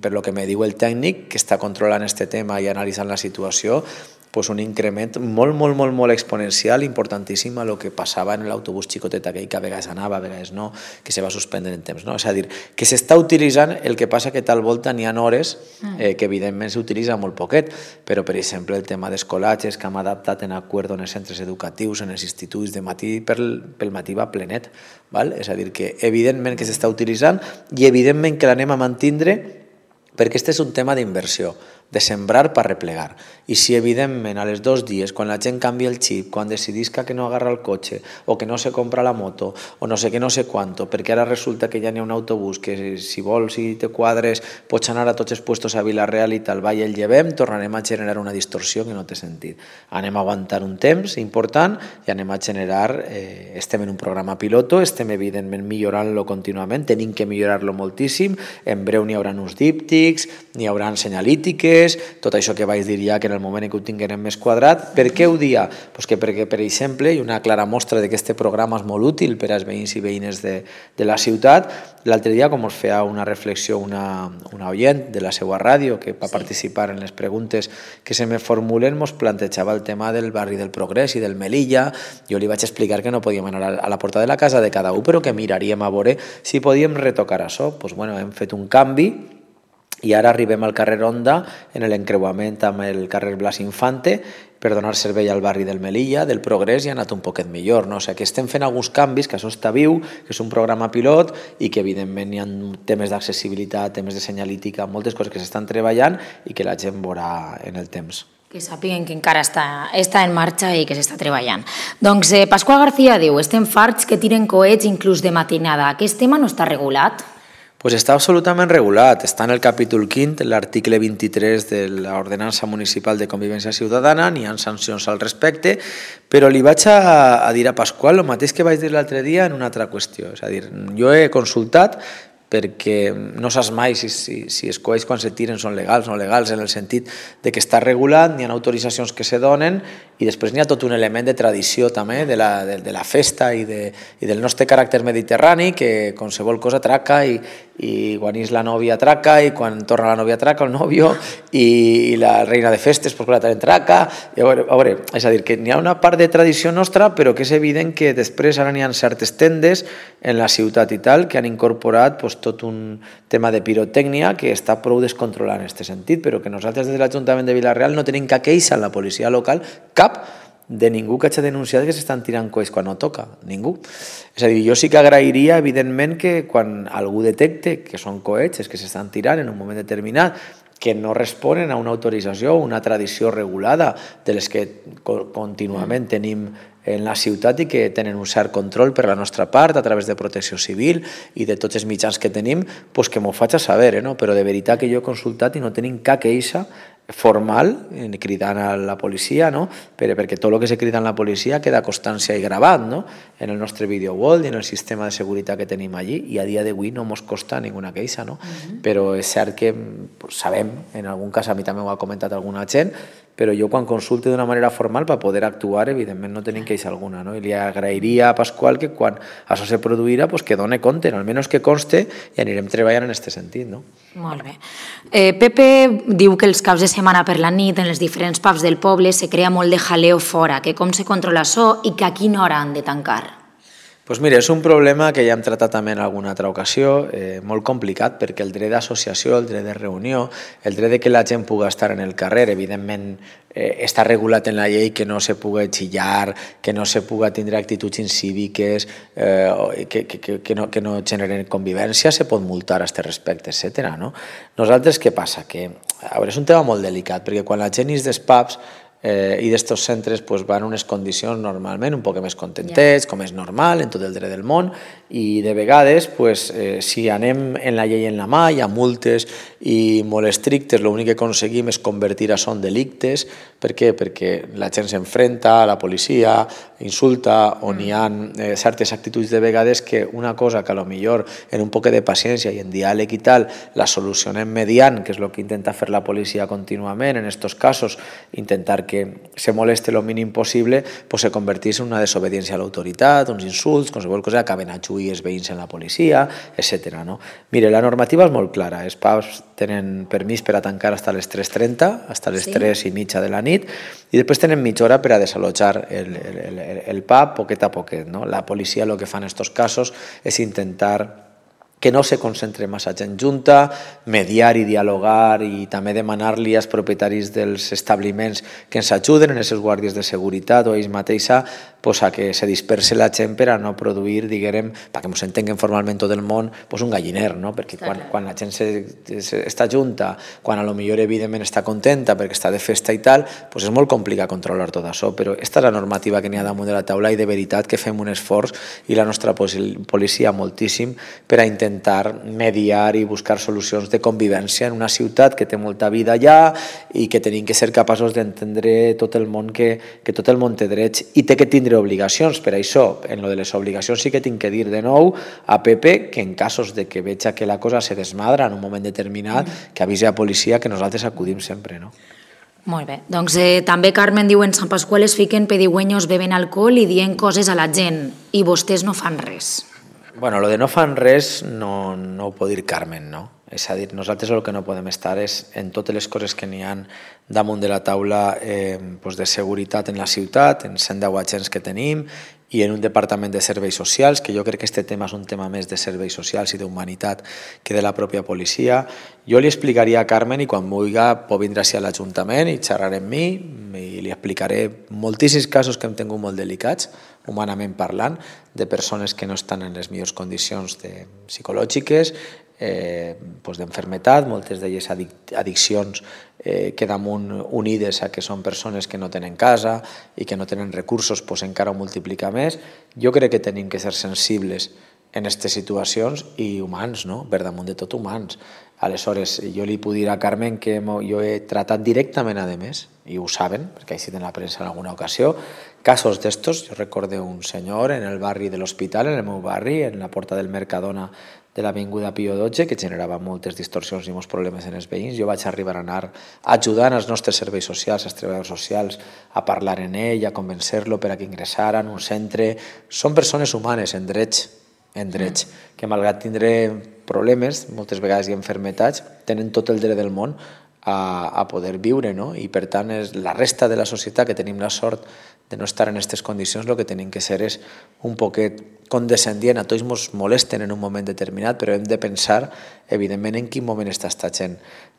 per lo que me diu el tècnic, que està controlant aquest tema i analitzant la situació, pues un increment molt, molt, molt, molt exponencial, importantíssim a lo que passava en l'autobús xicotet aquell que a vegades anava, a vegades no, que se va suspendre en temps. No? És a dir, que s'està utilitzant, el que passa que tal volta n'hi ha hores eh, que evidentment s'utilitza molt poquet, però per exemple el tema d'escolatges que hem adaptat en acord en els centres educatius, en els instituts de matí, pel, pel matí va plenet. Val? És a dir, que evidentment que s'està utilitzant i evidentment que l'anem a mantindre perquè aquest és un tema d'inversió, de sembrar per replegar. I si evidentment a les dos dies, quan la gent canvia el xip, quan decidisca que no agarra el cotxe o que no se compra la moto o no sé què, no sé quanto, perquè ara resulta que ja n'hi ha un autobús que si vols i te quadres pots anar a tots els puestos a Vila-real i tal, va i el llevem, tornarem a generar una distorsió que no té sentit. Anem a aguantar un temps important i anem a generar, eh, estem en un programa piloto, estem evidentment millorant-lo contínuament, tenim que millorar-lo moltíssim, en breu n'hi haurà uns díptics, n'hi haurà senyalítiques, tot això que vaig dir ja que en el moment en què ho tinguem més quadrat. Per què ho dia? Pues que perquè, per exemple, i una clara mostra de que aquest programa és molt útil per als veïns i veïnes de, de la ciutat, l'altre dia, com us feia una reflexió una, una oient de la seva ràdio que va participar en les preguntes que se me formulen, ens plantejava el tema del barri del Progrés i del Melilla. Jo li vaig explicar que no podíem anar a la porta de la casa de cada un, però que miraríem a veure si podíem retocar això. Pues, bueno, hem fet un canvi i ara arribem al carrer Onda en l'encreuament amb el carrer Blas Infante per donar servei al barri del Melilla, del Progrés, i ha anat un poquet millor. No? O sigui, que estem fent alguns canvis, que això està viu, que és un programa pilot i que evidentment hi ha temes d'accessibilitat, temes de senyalítica, moltes coses que s'estan treballant i que la gent veurà en el temps. Que sàpiguen que encara està, està en marxa i que s'està treballant. Doncs eh, Pasqual García diu, estem farts que tiren coets inclús de matinada. Aquest tema no està regulat? Pues està absolutament regulat. Està en el capítol quint, l'article vint-i-tres de l'Ordenança Municipal de Convivència Ciutadana, n'hi ha sancions al respecte, però li vaig a, a dir a Pasqual el mateix que vaig dir l'altre dia en una altra qüestió. És a dir, jo he consultat perquè no saps mai si, si, si els coets quan se tiren són legals o no legals, en el sentit de que està regulat, n'hi ha autoritzacions que se donen i després n'hi ha tot un element de tradició també de la, de, de la festa i, de, i del nostre caràcter mediterrani, que qualsevol cosa atraca i, i quan és la nòvia atraca i quan torna la nòvia atraca el nòvio i, i la reina de festes pues, la també atraca. I a veure, a veure, és a dir, que n'hi ha una part de tradició nostra però que és evident que després ara n'hi ha certes tendes en la ciutat i tal que han incorporat pues, tot un tema de pirotècnia que està prou descontrolat en aquest sentit, però que nosaltres des de l'Ajuntament de Vila-real no tenim cap queixa a la policia local, cap de ningú que hagi denunciat que s'estan tirant coets quan no toca, ningú. És a dir, jo sí que agrairia, evidentment, que quan algú detecte que són coets que s'estan tirant en un moment determinat, que no responen a una autorització o una tradició regulada de les que contínuament tenim en la ciutat i que tenen un cert control per la nostra part a través de protecció civil i de tots els mitjans que tenim, pues que m'ho faig a saber, eh, no? Però de veritat que jo he consultat i no tenim cap queixa formal, cridant a la policia, no? perquè tot el que se crida en la policia queda constància i gravat, no? En el nostre video wall i en el sistema de seguretat que tenim allí, i a dia d'avui no ens costa ninguna queixa, no? Uh-huh. Però és cert que pues, sabem, en algun cas a mi també ho ha comentat alguna gent, però jo quan consulte d'una manera formal per poder actuar, evidentment no tenim queixa alguna, no? I li agrairia a Pasqual que quan això se produirà, pues, que doni compte, almenys que conste, i anirem treballant en aquest sentit, no? Molt bé. Eh, Pepe diu que els caps de setmana per la nit en els diferents pubs del poble se crea molt de jaleo fora, que com se controla això i que a quina hora han de tancar? Doncs mira, és un problema que ja hem tratat també en alguna altra ocasió, eh, molt complicat, perquè el dret d'associació, el dret de reunió, el dret de que la gent pugui estar en el carrer, evidentment eh, està regulat en la llei que no se pugui xillar, que no se pugui tindre actituds incíviques, eh, que, que, que, no, que no generen convivència, se pot multar a aquest respecte, etcètera. No? Nosaltres què passa? Que, a veure, és un tema molt delicat, perquè quan la gent és dels pubs Eh, i d'estos centres pues, van en unes condicions normalment un poc més contentets, yeah. com és normal en tot el dret del món, i de vegades pues, eh, si anem en la llei en la mà, hi ha multes i molt estrictes, l'únic que aconseguim és convertir això en delictes. Per què? Perquè la gent s'enfrenta a la policia, insulta, on hi ha eh, certes actituds de vegades que una cosa que a lo millor en un poc de paciència i en diàleg i tal la solucionem mediant, que és el que intenta fer la policia contínuament en aquests casos, intentar que se moleste el mínim possible, pues se convertís en una desobediència a l'autoritat, uns insults, qualsevol cosa, acaben a lluir els veïns en la policia, etcètera. No? Mire, la normativa és molt clara. Els pubs tenen permís per a tancar fins a les tres trenta, fins a les sí. tres i mitja de la nit, i després tenen mitja hora per a desallotjar el, el, el, el pub poquet a poquet. No? La policia el que fa en aquests casos és intentar que no se concentre massa gent junta, mediar i dialogar i també demanar-li als propietaris dels establiments que ens ajuden, en els seus guàrdies de seguretat o ells mateixa, pues, a que se disperse la gent per a no produir, diguem, perquè ens entenguen formalment tot el món, pues, un galliner, no? Perquè quan, quan la gent se, se, està junta, quan a lo millor evidentment està contenta perquè està de festa i tal, pues és molt complicat controlar tot això, però aquesta és la normativa que n'hi ha damunt de la taula i de veritat que fem un esforç i la nostra policia moltíssim per a intentar intentar mediar i buscar solucions de convivència en una ciutat que té molta vida allà i que tenim que ser capaços d'entendre tot el món que, que tot el món té drets i té que tindre obligacions. Per això, en lo de les obligacions sí que tinc que dir de nou a Pepe que en casos de que veja que la cosa se desmadra en un moment determinat, que avisi a policia que nosaltres acudim sempre, no? Molt bé. Doncs eh, també Carmen diu en Sant Pasqual es fiquen pedigüeños, beben alcohol i dient coses a la gent i vostès no fan res. Bueno, lo de no fan res no, no ho pot dir Carmen, no? És a dir, nosaltres el que no podem estar és en totes les coses que n'hi ha damunt de la taula eh, pues de seguretat en la ciutat, en cent deu agents que tenim i en un departament de serveis socials, que jo crec que aquest tema és un tema més de serveis socials i d'humanitat que de la pròpia policia. Jo li explicaria a Carmen i quan vulgui pot vindre a l'Ajuntament i xerrar amb mi i li explicaré moltíssims casos que hem tingut molt delicats, humanament parlant, de persones que no estan en les millors condicions de, psicològiques, eh, pues d'enfermetat, moltes d'elles adic addiccions eh, que damunt unides a que són persones que no tenen casa i que no tenen recursos, pues encara ho multiplica més. Jo crec que tenim que ser sensibles en aquestes situacions i humans, no? Per damunt de tot humans. Aleshores, jo li puc dir a Carmen que jo he tratat directament, a més, i ho saben, perquè ha sigut en la premsa en alguna ocasió, casos d'estos. Jo recordo un senyor en el barri de l'Hospital, en el meu barri, en la porta del Mercadona de l'Avinguda Pío dotze, que generava moltes distorsions i molts problemes en els veïns. Jo vaig arribar a anar ajudant els nostres serveis socials, els treballadors socials, a parlar en ell, a convencer-lo per a que ingressaran un centre. Són persones humanes en drets, en drets, que malgrat tindre problemes, moltes vegades i enfermetats, tenen tot el dret del món a, a poder viure, no? I per tant és la resta de la societat que tenim la sort de no estar en aquestes condicions, el que tenim que ser és un poquet condescendient. A tots ens molesten en un moment determinat, però hem de pensar, evidentment, en quin moment està esta gent.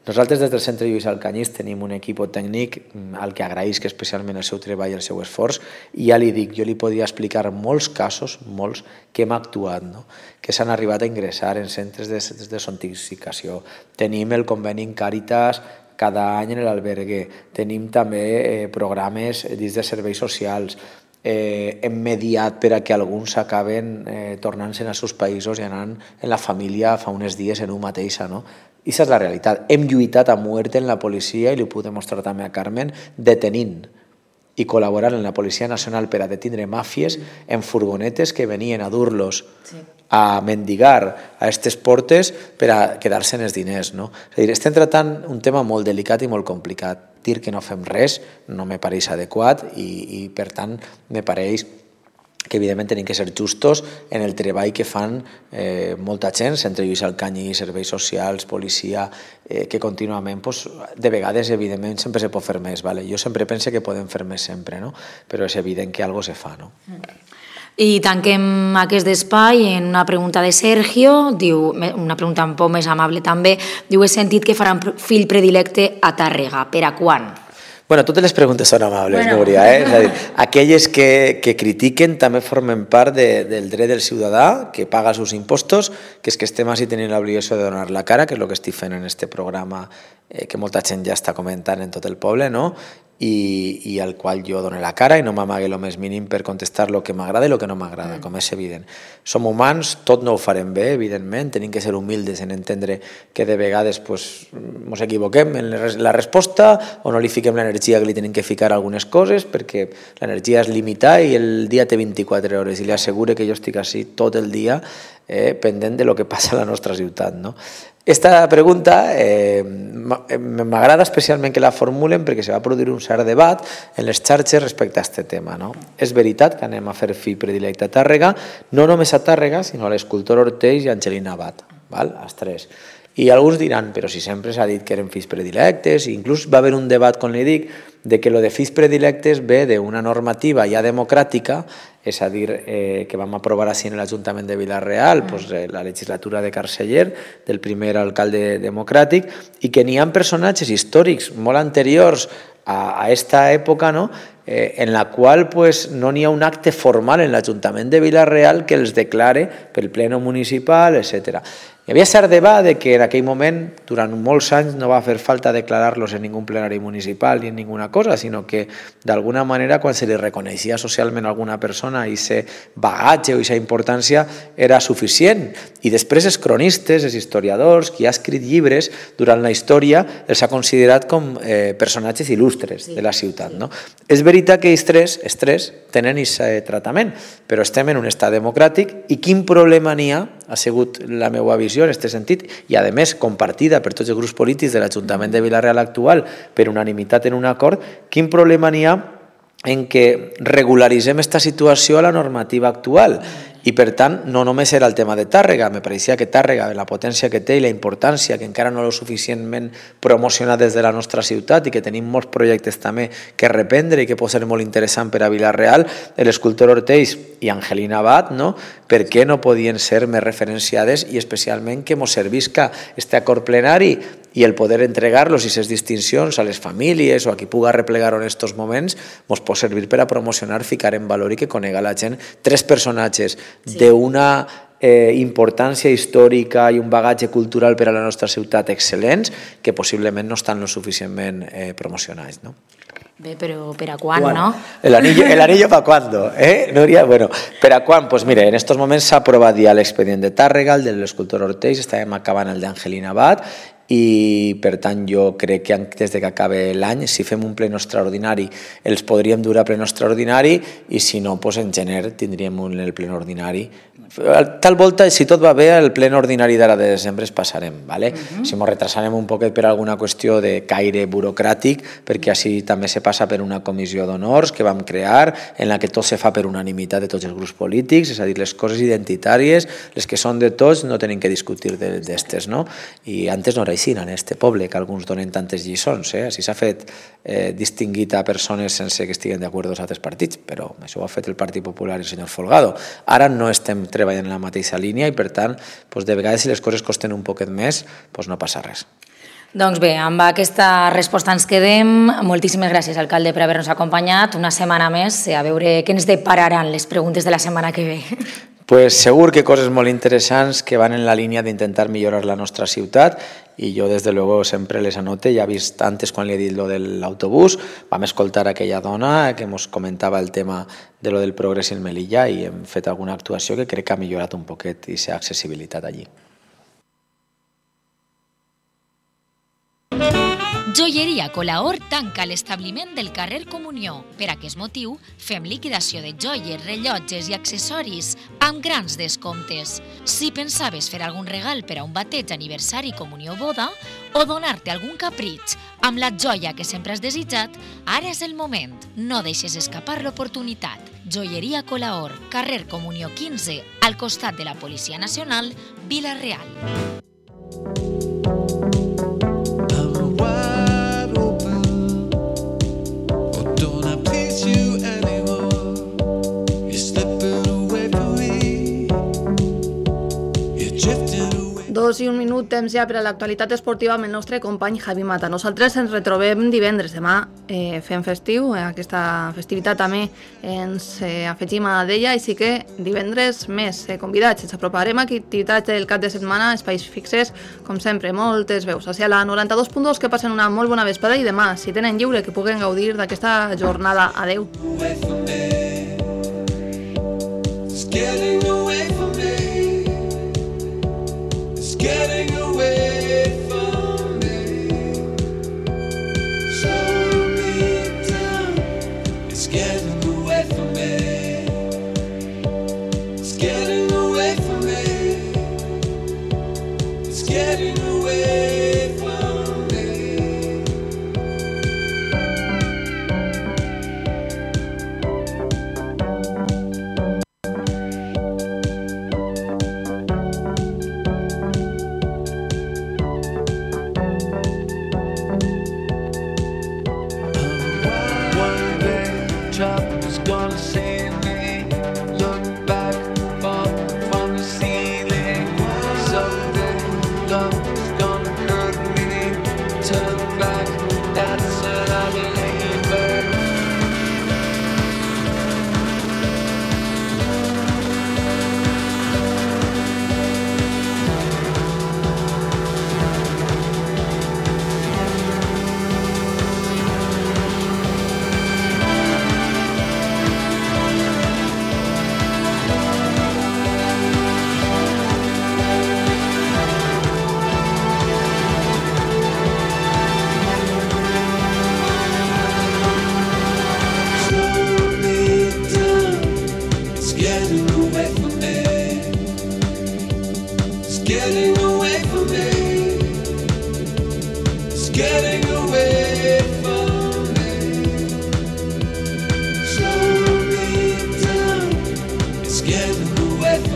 Nosaltres des del Centre Lluís Alcanyís tenim un equip tècnic al que agraïsc especialment el seu treball i el seu esforç, i ja li dic, jo li podria explicar molts casos, molts, que hem actuat, no? Que s'han arribat a ingressar en centres de desintoxicació. Tenim el conveni en Càritas cada any en l'albergue, tenim també eh, programes dins de serveis socials, eh, hem mediat per a que alguns acaben eh, tornant-se als seus països i anant en la família fa uns dies en un mateixa, no? I aquesta és la realitat. Hem lluitat a muerte en la policia, i li ho puc demostrar també a Carmen, detenint i col·laborant en la Policia Nacional per a detindre màfies en furgonetes que venien a dur-los sí. a mendigar a aquestes portes per a quedar-se en els diners, no? És a dir, estem tractant un tema molt delicat i molt complicat. Dir que no fem res no me pareix adequat i, i per tant, me pareix que evidentment tenim que ser justos en el treball que fan eh, molta gent, Centre Lluís Alcanyís, serveis socials, policia, eh, que contínuament, pues, de vegades, evidentment, sempre se pot fer més. Vale? Jo sempre pense que podem fer més sempre, no? Però és evident que alguna cosa se fa. No? I tanquem aquest espai en una pregunta de Sergio, diu, una pregunta un poc més amable també, diu, he sentit que faran fill predilecte a Tàrrega, per a quan? Bueno, totes les preguntes són amables, bueno. Núria. Eh? És a dir, aquelles que, que critiquen també formen part de, del dret del ciutadà que paga els seus impostos, que és que estem així tenint l'obligació de donar la cara, que és el que estic fent en este programa eh, que molta gent ja està comentant en tot el poble, no? I, i al qual jo dono la cara i no m'amague el més mínim per contestar el que m'agrada i el que no m'agrada, mm. com és evident. Som humans, tot no ho farem bé, evidentment, tenim que ser humildes en entendre que de vegades pues, ens equivoquem en la resposta o no li fiquem l'energia que li tenim que ficar a algunes coses, perquè l'energia és limitada i el dia té vint-i-quatre hores i li asseguro que jo estic així tot el dia eh, pendent de lo que passa a la nostra ciutat, no? Esta pregunta eh, m'agrada especialment que la formulen perquè se va produir un cert debat en les xarxes respecte a aquest tema. No? És veritat que anem a fer fill predilecte a Tàrrega, no només a Tàrrega, sinó a l'escultor Ortells i Angelina Abad, val? Els tres. I alguns diran, però si sempre s'ha dit que eren fills predilectes, i inclús va haver un debat, com li dic, de que lo de fills predilectes ve d'una normativa ja democràtica, és a dir, eh, que vam aprovar així en l'Ajuntament de Vila-real, mm. pues, eh, la legislatura de Carceller, del primer alcalde democràtic, i que n'hi ha personatges històrics molt anteriors a, a esta època, no? eh, en la qual pues, no n'hi ha un acte formal en l'Ajuntament de Vila-real que els declare pel pleno municipal, etcètera. Hi havia cert debat de que en aquell moment, durant molts anys, no va fer falta declarar-los en ningú plenari municipal ni en ninguna cosa, sinó que d'alguna manera quan se li reconeixia socialment a alguna persona i aquest bagatge o aquesta importància era suficient. I després els cronistes, els historiadors, qui ha escrit llibres durant la història, els ha considerat com eh, personatges il·lustres de la ciutat. No? És veritat que els tres, els tres tenen aquest tractament, però estem en un estat democràtic i quin problema n'hi ha, ha sigut la meva visió en aquest sentit, i a més compartida per tots els grups polítics de l'Ajuntament de Vila-real actual per unanimitat en un acord, quin problema n'hi ha en que regularitzem aquesta situació a la normativa actual I per tant, no només era el tema de Tàrrega, me pareixia que Tàrrega, la potència que té i la importància que encara no l'ho suficientment promocionat des de la nostra ciutat i que tenim molts projectes també que reprendre i que pot ser molt interessant per a Vila-real, l'escultor Ortells i Angelina Abad, no? Per què no podien ser més referenciades i especialment que mos servisca este acord plenari i el poder entregar-los i ses distincions a les famílies o a qui puga replegar-ho en estos moments mos pot servir per a promocionar, ficar en valor i que conega la gent tres personatges sí. d'una eh, importància històrica i un bagatge cultural per a la nostra ciutat excel·lents que possiblement no estan lo suficientment eh, promocionats, no? Bé, però per a quan, bueno, no? El anillo, el anillo para cuándo, ¿eh, Núria? Bueno, per a quan? Pues mire, en estos moments s'ha aprovat ja l'expedient de Tàrrega, el de l'escultor Ortells, estàvem acabant el d'Angelina Abad, i per tant jo crec que des de que acabe l'any, si fem un pleno extraordinari, els podríem dur a pleno extraordinari i si no, pues en gener tindríem un, el pleno ordinari. Tal volta, si tot va bé, el pleno ordinari d'ara de desembre es passarem, ¿vale? Uh-huh. Si ens retrasarem un poquet per alguna qüestió de caire burocràtic, perquè així també se passa per una comissió d'honors que vam crear, en la que tot se fa per unanimitat de tots els grups polítics, és a dir, les coses identitàries, les que són de tots, no tenen que discutir d'estes, no? I antes no era així en este poble, que alguns donen tantes lliçons, eh? Així s'ha fet eh, distingit a persones sense que estiguen d'acord amb altres partits, però això ho ha fet el Partit Popular i el senyor Folgado. Ara no estem treballant en la mateixa línia i per tant, doncs de vegades si les coses costen un poquet més, doncs no passa res. Doncs bé, amb aquesta resposta ens quedem. Moltíssimes gràcies, alcalde, per haver-nos acompanyat una setmana més, a veure què ens depararan les preguntes de la setmana que ve. Pues segur que coses molt interessants que van en la línia d'intentar millorar la nostra ciutat i jo des de luego sempre les anote. Ja he vist antes quan li he dit lo de l'autobús, vam escoltar aquella dona que ens comentava el tema de lo del progrés en Melilla i hem fet alguna actuació que crec que ha millorat un poquet aquesta accessibilitat allí. Joieria Colaor tanca l'establiment del carrer Comunió. Per aquest motiu, fem liquidació de joies, rellotges i accessoris amb grans descomptes. Si pensaves fer algun regal per a un bateig, aniversari, comunió o boda, o donar-te algun capritx amb la joia que sempre has desitjat, ara és el moment. No deixes escapar l'oportunitat. Joieria Colaor, carrer Comunió quinze, al costat de la Policia Nacional, Vila-real. Dos i un minut, temps ja per a l'actualitat esportiva amb el nostre company Javi Mata. Nosaltres ens retrobem divendres. Demà eh, fem festiu, eh, aquesta festivitat també ens eh, afegim a d'ella, i sí que divendres més eh, convidats. Ens aproparem a activitats del cap de setmana, espais fixes, com sempre, moltes veus. Hacia la noranta-dos punt dos, que passen una molt bona vesprada i demà, si tenen lliure, que puguen gaudir d'aquesta jornada. Adeu. Getting away from me, slow me down. It's getting away from me. It's getting away from me. It's getting away from me. Getting away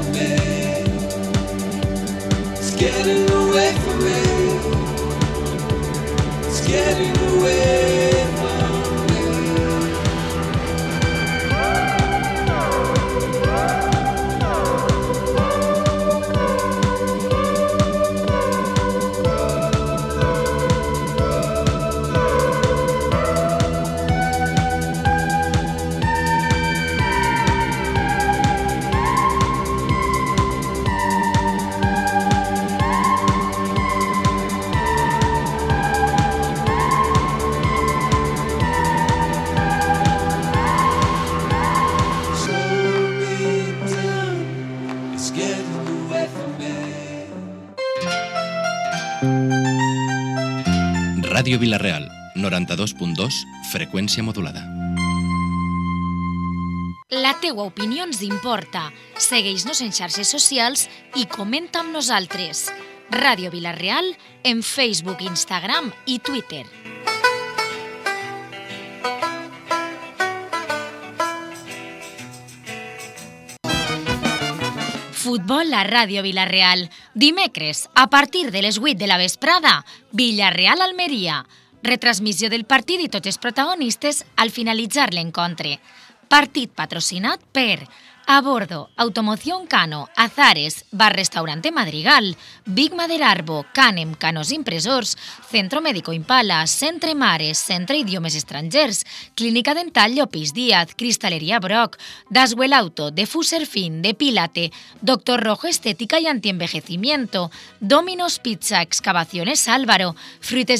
getting away from me. Ràdio Vila-real, noranta-dos punt dos, freqüència modulada. La teua opinió ens importa. Segueix-nos en xarxes socials i comenta amb nosaltres. Ràdio Vila-real en Facebook, Instagram i Twitter. Futbol a Ràdio Vila-real. Dimecres, a partir de les vuit de la vesprada, Villarreal-Almeria. Retransmissió del partit i tots els protagonistes al finalitzar l'encontre. Partit patrocinat per A Bordo, Automoción Cano, Azares, Bar Restaurante Madrigal, Big Maderarbo, Canem, Canos Impresors, Centro Médico Impala, Centre Mares, Centre Idiomes Estrangers, Clínica Dental Llopis Díaz, Cristalería Brock, Daswell Auto, Defuser Fin, Depílate, Doctor Rojo Estética y Antienvejecimiento, Domino's Pizza, Excavaciones Álvaro, Fruites